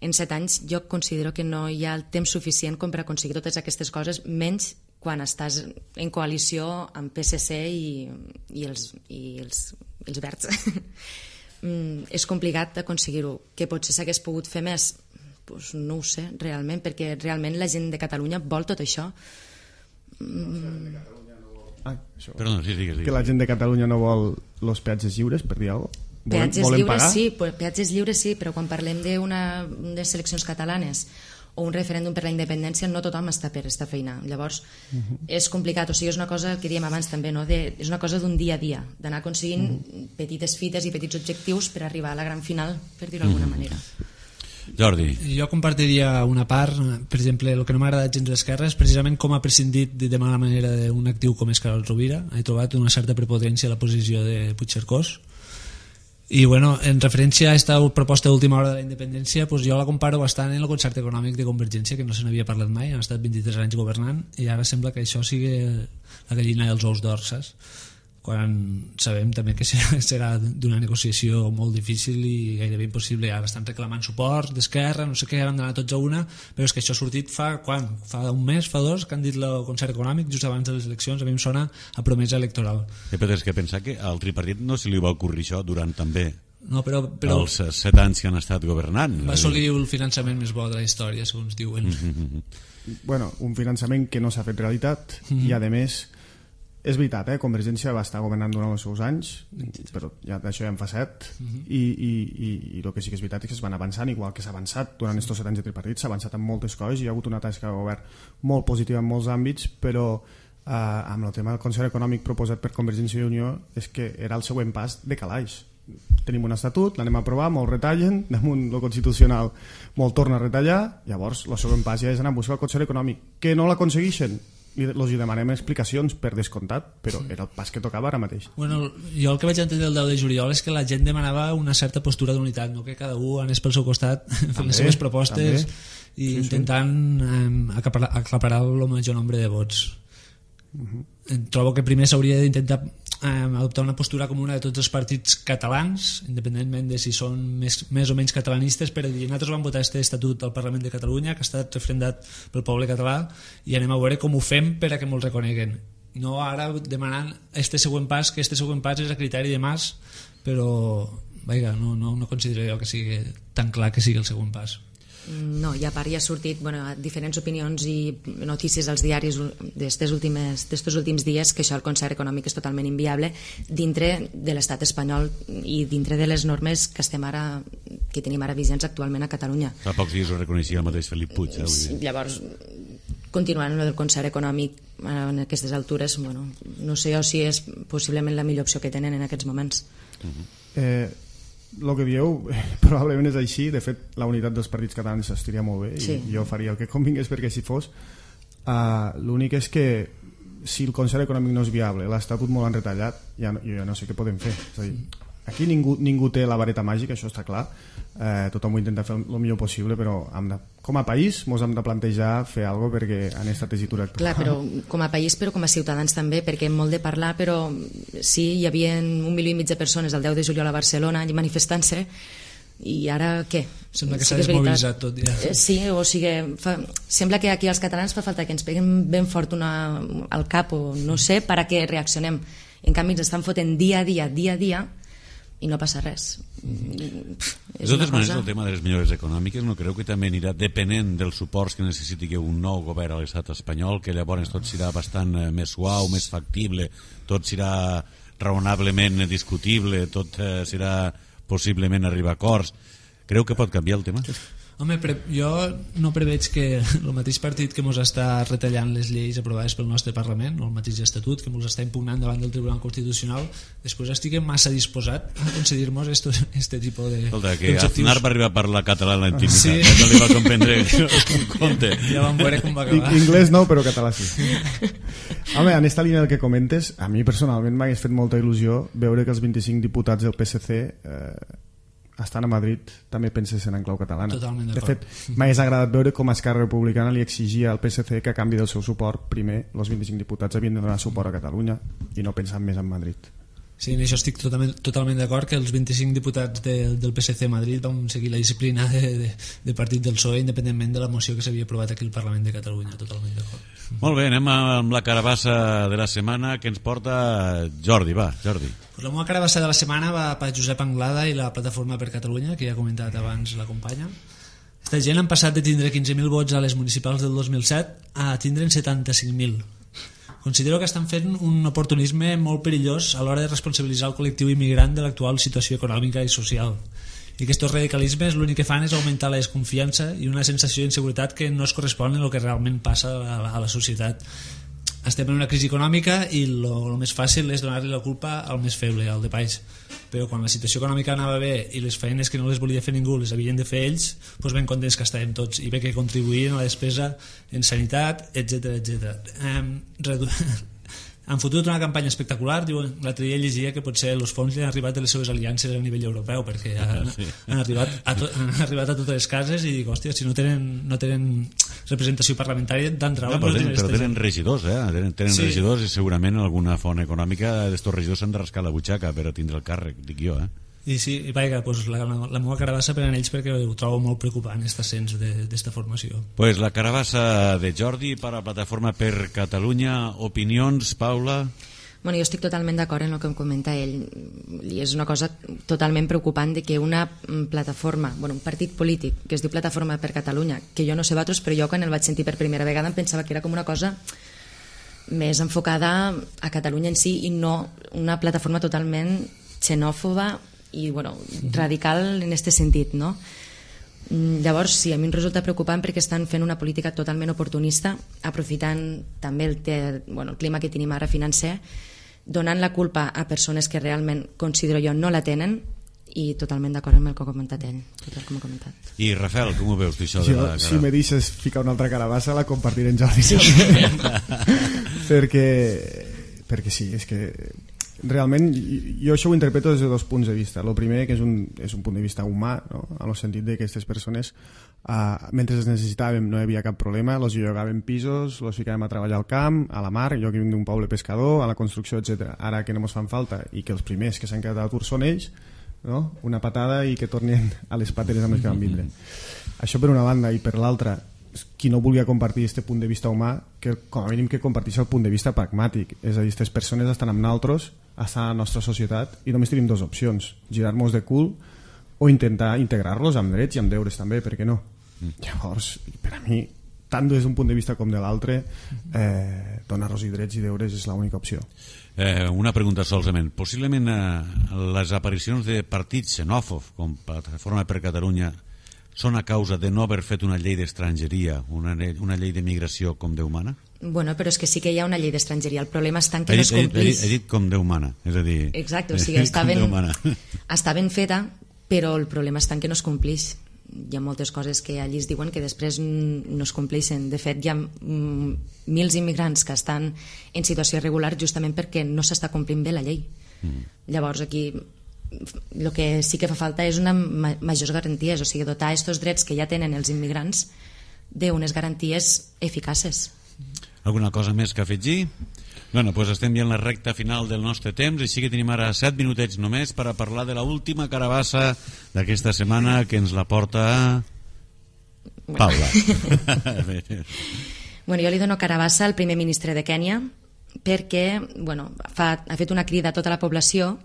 en 7 anys jo considero que no hi ha el temps suficient com per aconseguir totes aquestes coses, menys quan estàs en coalició amb PSC i els verds. És complicat aconseguir-ho. Que potser s'hagués pogut fer més? Pues no ho sé, realment, perquè realment la gent de Catalunya vol tot això. Perdona, sí, digues. Que la gent de Catalunya no vol els peatges lliures, per dir alguna cosa? Peatges lliures sí, però quan parlem de seleccions catalanes o un referèndum per la independència, no tothom està per aquesta feina. Llavors, és complicat. O sigui, és una cosa que dèiem abans també, no? És una cosa d'un dia a dia, d'anar aconseguint petites fites i petits objectius per arribar a la gran final, per dir-ho d'alguna manera. Jordi. Jo compartiria una part, per exemple, el que no m'ha agradat gens d'Esquerra és precisament com ha prescindit de mala manera d'un actiu com és Carod Rovira. He trobat una certa prepotència a la posició de Puigcercós. I bueno, en referència a aquesta proposta d'última hora de la independència, pues jo la comparo bastant en el concert econòmic de Convergència, que no se n'havia parlat mai, han estat 23 anys governant i ara sembla que això sigui la gallina dels ous d'or, saps? Quan sabem també que serà d'una negociació molt difícil i gairebé impossible. Ara estan reclamant suport d'Esquerra, no sé què, han d'anar tots a una, però és que això ha sortit fa un mes, fa 2, que han dit el concert econòmic just abans de les eleccions. A mi em sona a promesa electoral. Però és que pensar que al tripartit no se li va ocórrer això durant també els 7 anys que han estat governant. Va assolir el finançament més bo de la història, segons diuen. Bueno, un finançament que no s'ha fet realitat i a més és veritat, Convergència va estar governant durant els seus anys, però ja d'això ja en fa 7, i el que sí que és veritat és que es van avançant, igual que s'ha avançat durant aquests 7 anys de tripartit, s'ha avançat en moltes coses, hi ha hagut una tasca de govern molt positiva en molts àmbits, però amb el tema del Consell Econòmic proposat per Convergència i Unió és que era el següent pas de calaix. Tenim un estatut, l'anem a aprovar, molt retallen, damunt el Constitucional molt torna a retallar, llavors el següent pas ja és anar a buscar el Consell Econòmic, que no l'aconsegueixen, i els demanem explicacions per descomptat, però era el pas que tocava ara mateix. Bueno, jo el que vaig entendre el 10 de juliol és que la gent demanava una certa postura d'unitat, no que cada un anés pel seu costat fent les seves propostes i intentant aclaparar el major nombre de vots. Trobo que primer s'hauria d'intentar adoptar una postura comuna de tots els partits catalans, independentment de si són més o menys catalanistes, per dir, nosaltres vam votar aquest estatut al Parlament de Catalunya, que ha estat refrendat pel poble català, i anem a veure com ho fem per a que me'l reconeguen. No ara demanant este següent pas, que este següent pas és a criteri de Mas, però no considero jo que sigui tan clar que sigui el següent pas. No, i a part ja ha sortit diferents opinions i notícies als diaris d'estos últims dies que això el concert econòmic és totalment inviable dintre de l'estat espanyol i dintre de les normes que tenim ara vigents actualment a Catalunya. Fa pocs dies ho reconeixia el mateix Felip Puig. Llavors, continuant amb el del concert econòmic en aquestes altures, no sé si és possiblement la millor opció que tenen en aquests moments. El que dieu probablement és així. De fet, la unitat dels partits catalans estaria molt bé i jo faria el que convingués perquè així fos. L'únic és que si el concert econòmic no és viable, l'Estatut molt han retallat, jo ja no sé què podem fer. És a dir, aquí ningú té la vareta màgica, això està clar. Tothom ho intenta fer el millor possible, però com a país ens hem de plantejar fer alguna cosa perquè en aquesta tessitura actual. Clar, però com a país, però com a ciutadans també, perquè hem molt de parlar, però sí, hi havia 1,5 milió de persones el 10 de juliol a Barcelona manifestant-se, i ara què? Sembla que s'ha desmobilitzat tot ja. Sí, o sigui, sembla que aquí als catalans fa falta que ens peguem ben fort al cap o no sé, per a que reaccionem. En canvi ens estan fotent dia a dia i no passa res. De totes maneres, el tema de les millores econòmiques no creu que també anirà depenent dels suports que necessiti un nou govern a l'estat espanyol, que llavors tot serà bastant més suau, més factible, tot serà raonablement discutible, tot serà possiblement arribar a acords. Creu que pot canviar el tema? Home, jo no preveig que el mateix partit que ens està retallant les lleis aprovades pel nostre Parlament, o el mateix estatut que ens està impugnant davant del Tribunal Constitucional, després estigui massa disposat a concedir-nos este tipus de... Escolta, que d'objectius. Aznar va arribar a parlar català en la intimitat, Sí. no li va comprendre un compte. Ja vam veure com va acabar. Inglès no, però català sí. Home, en esta línia del que comentes, a mi personalment m'hagués fet molta il·lusió veure que els 25 diputats del PSC estan a Madrid també pensessin en clau catalana. Totalment de d'acord. fet, m'hagués agradat veure com Esquerra Republicana li exigia al PSC que a canvi del seu suport, primer, els 25 diputats havien de donar suport a Catalunya i no pensar més en Madrid. Sí, en això estic totalment d'acord, que els 25 diputats del PSC a Madrid van seguir la disciplina de partit del PSOE independentment de la moció que s'havia aprovat aquí al Parlament de Catalunya. Totalment d'acord. Molt bé, anem amb la carabassa de la setmana que ens porta Jordi. Va, Jordi. Pues la meva carabassa de la setmana va per Josep Anglada i la Plataforma per Catalunya, que ja ha comentat abans la companya. Esta gent han passat de tindre 15.000 vots a les municipals del 2007 a tindre'n 75.000. Considero que estan fent un oportunisme molt perillós a l'hora de responsabilitzar el col·lectiu immigrant de l'actual situació econòmica i social. I aquests radicalismes l'únic que fan és augmentar la desconfiança i una sensació d'inseguretat que no es correspon amb el que realment passa a la societat. Estem en una crisi econòmica i el més fàcil és donar-li la culpa al més feble, al de país. Però quan la situació econòmica anava bé i les feines que no les volia fer ningú les havien de fer ells, doncs ben contents que estàvem tots i bé que contribuïen a la despesa en sanitat, etc. Han fotut una campanya espectacular. L'altre dia llegia que potser els fons li han arribat de les seves aliances a nivell europeu, perquè han arribat a totes les cases i dic, hòstia, si no tenen representació parlamentària d'entrada. Però tenen regidors, tenen Sí. regidors i segurament alguna font econòmica d'estos regidors s'han de rascar la butxaca per a tindre el càrrec, dic jo, I sí, i vaja, pues la meva carabassa per a ells perquè ho trobo molt preocupant, aquest ascens d'esta formació. Pues la carabassa de Jordi per a Plataforma per Catalunya. Opinions, Paula? Bueno, jo estic totalment d'acord en el que em comenta ell, i és una cosa totalment preocupant de que una plataforma, un partit polític que es diu Plataforma per Catalunya, que jo no sé vosaltres, però jo quan el vaig sentir per primera vegada em pensava que era com una cosa més enfocada a Catalunya en si i no una plataforma totalment xenòfoba i radical en aquest sentit, no? Llavors sí, a mi em resulta preocupant perquè estan fent una política totalment oportunista, aprofitant també el clima que tenim ara financer, donant la culpa a persones que realment considero jo no la tenen, i totalment d'acord amb el que ha comentat ell, com ha comentat. I Rafael, com ho veus tu això? Si me deixes ficar una altra carabassa la compartiré en Jordi perquè sí, és que realment jo això ho interpreto des de dos punts de vista. El primer, que és un punt de vista humà, no? En el sentit que aquestes persones mentre es necessitàvem no hi havia cap problema, els llogaven pisos, els ficàvem a treballar al camp, a la mar, jo que vinc d'un poble pescador, a la construcció, etc. Ara que no ens fan falta i que els primers que s'han quedat a l'atur són ells, no? Una patada i que tornin a les pateres amb les que van vindre. Això per una banda, i per l'altra, qui no volia compartir aquest punt de vista humà, que com a mínim que compartís el punt de vista pragmàtic, és a dir, aquestes persones estan amb nosaltres, estan a la nostra societat i només tenim dues opcions, girar-nos de cul o intentar integrar-los amb drets i amb deures també, per què no? Llavors, per a mi, tant des d'un punt de vista com de l'altre, donar-los drets i deures és l'única opció. Una pregunta solament. Possiblement les aparicions de partits xenòfobs com Plataforma per Catalunya són a causa de no haver fet una llei d'estrangeria, una llei de migració com Déu mana? Bueno, però és que sí que hi ha una llei d'estrangeria. El problema està en que no es complís. He dit com Déu mana, és a dir... Exacte, o sigui, està ben feta, però el problema està en que no es complís. Hi ha moltes coses que allí es diuen que després no es compleixen. De fet, hi ha mils immigrants que estan en situació irregular justament perquè no s'està complint bé la llei. Llavors aquí el que sí que fa falta és una majors garanties, o sigui, dotar aquests drets que ja tenen els immigrants d'unes garanties eficaces. Alguna cosa més que afegir? Bueno, doncs estem ja en la recta final del nostre temps, així que tenim ara 7 minutets només per a parlar de l'última carabassa d'aquesta setmana que ens la porta Paula. Bueno, jo li dono carabassa al primer ministre de Kènia perquè ha fet una crida a tota la població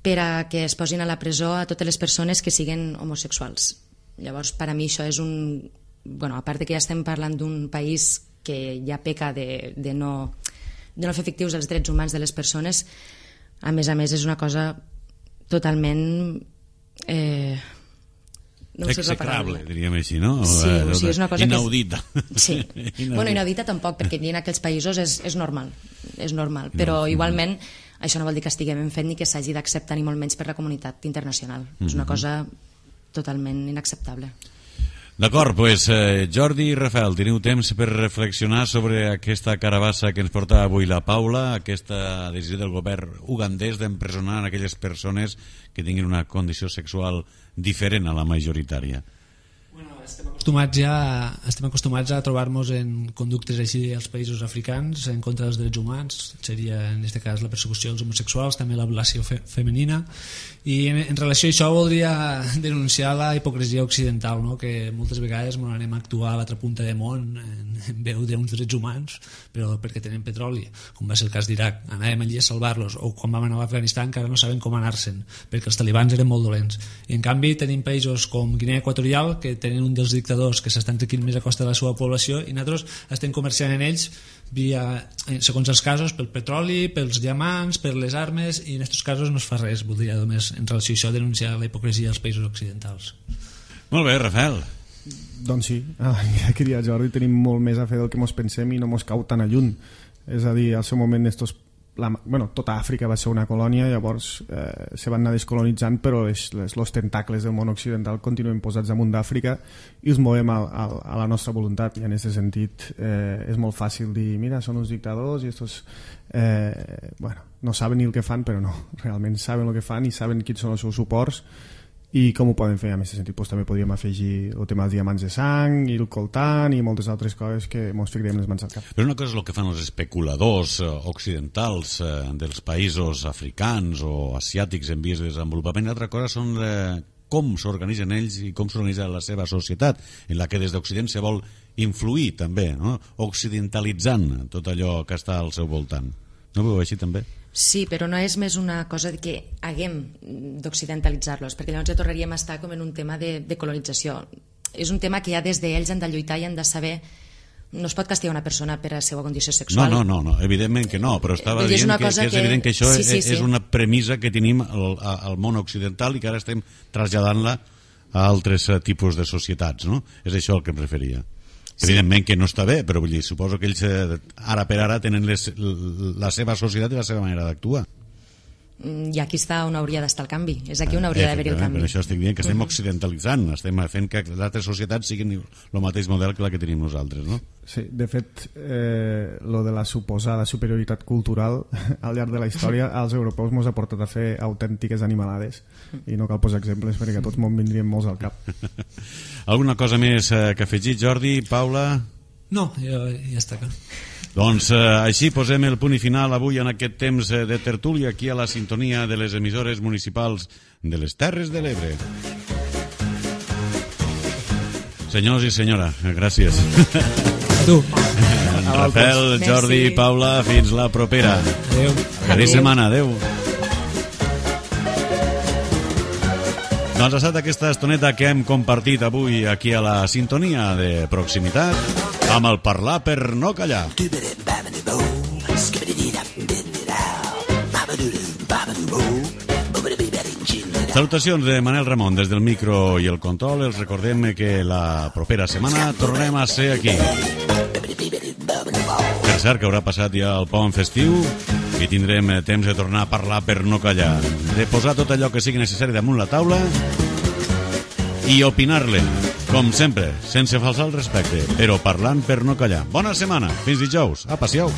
per a que es posin a la presó a totes les persones que siguin homosexuals. Llavors, per a mi això és un... a part que ja estem parlant d'un país que ja peca de no fer efectius els drets humans de les persones, a més és una cosa totalment No execrable, diríem així, no? Sí, o sigui, és una cosa inaudita. Sí. Bueno, inaudita tampoc, perquè en aquells països és normal, però igualment això no vol dir que estiguem ben fet ni que s'hagi d'acceptar ni molt menys per la comunitat internacional. És una cosa totalment inacceptable. D'acord, doncs Jordi i Rafael, teniu temps per reflexionar sobre aquesta carabassa que ens porta avui la Paula, aquesta decisió del govern ugandès d'empresonar aquelles persones que tinguin una condició sexual diferent a la majoritària. Estem acostumats a trobar-nos en conductes així als països africans en contra dels drets humans, seria en aquest cas la persecució dels homosexuals, també l'ablació femenina, i en relació a això voldria denunciar la hipocresia occidental, no? Que moltes vegades ens anem a actuar a l'altra punta de món en veu d'uns drets humans, però perquè tenen petroli, com va ser el cas d'Iraq, anàvem allí a salvar-los, o quan vam anar a l'Afganistan encara no saben com anar-se'n, perquè els talibans eren molt dolents. I en canvi tenim països com Guinea Equatorial, que tenen un dels dictadors que s'estan trequint més a costa de la seva població, i nosaltres estem comerciant en ells segons els casos, pel petroli, pels diamants, per les armes, i en aquests casos no es fa res. Voldria només en relació a això denunciar la hipocresia als països occidentals. Molt bé, Rafael. Doncs sí, ja que diria Jordi, tenim molt més a fer del que mos pensem i no mos cau tan a lluny. És a dir, al seu moment tota Àfrica va ser una colònia, llavors se van anar descolonitzant, però els tentacles del món occidental continuen posats damunt d'Àfrica i els movem a la nostra voluntat, i en aquest sentit és molt fàcil dir, mira, són uns dictadors i estos no saben ni el que fan, però no, realment saben el que fan i saben quins són els seus suports i com ho poden fer. En aquest sentit també podríem afegir el tema dels diamants de sang i el coltan i moltes altres coses que ens ficarem les mans al cap. Però una cosa és el que fan els especuladors occidentals dels països africans o asiàtics en vies de desenvolupament, i altra cosa són com s'organitzen ells i com s'organitza la seva societat, en la que des d'Occident se vol influir també, no? Occidentalitzant tot allò que està al seu voltant. No ho veu així també? Sí, però no és més una cosa de que haguem d'occidentalitzar-los, perquè llavors ja tornaríem a estar com en un tema de colonització. És un tema que ja des d'ells han de lluitar i han de saber. No es pot castigar una persona per la seva condició sexual. No, evidentment que no, però estava dient que és evident que això és una premissa que tenim al món occidental i que ara estem traslladant-la a altres tipus de societats, no? És això al que em referia. Evidentment que no està bé, però vull dir, suposo que ells ara per ara tenen la seva societat i la seva manera d'actuar. I aquí està on hauria d'estar el canvi, és aquí on hauria d'haver-hi el canvi. Per això estic dient que estem occidentalitzant, estem fent que les altres societats siguin el mateix model que la que tenim nosaltres, no? Sí, de fet, lo de la suposada superioritat cultural al llarg de la història als europeus ens ha portat a fer autèntiques animalades, i no cal posar exemples perquè a tots me'n vindrien molts al cap. Alguna cosa més que afegir, Jordi, Paula? No, ja està clar. Doncs així posem el punt i final avui en aquest temps de tertúlia aquí a la sintonia de les emissores municipals de les Terres de l'Ebre. Senyors i senyora, gràcies. Tu. Rafael, Jordi, Paula, fins la propera. Adéu. Feliç setmana, adéu. Doncs ha estat aquesta estoneta que hem compartit avui aquí a la sintonia de proximitat amb el Parlar per no callar. Salutacions de Manel Ramon des del micro i el control. Els recordem que la propera setmana tornem a ser aquí. Per cert, que haurà passat ja el pont festiu i tindrem temps de tornar a parlar per no callar, de posar tot allò que sigui necessari damunt la taula i opinar-le, com sempre, sense falsar el respecte, però parlant per no callar. Bona setmana, fins dijous, a passeu.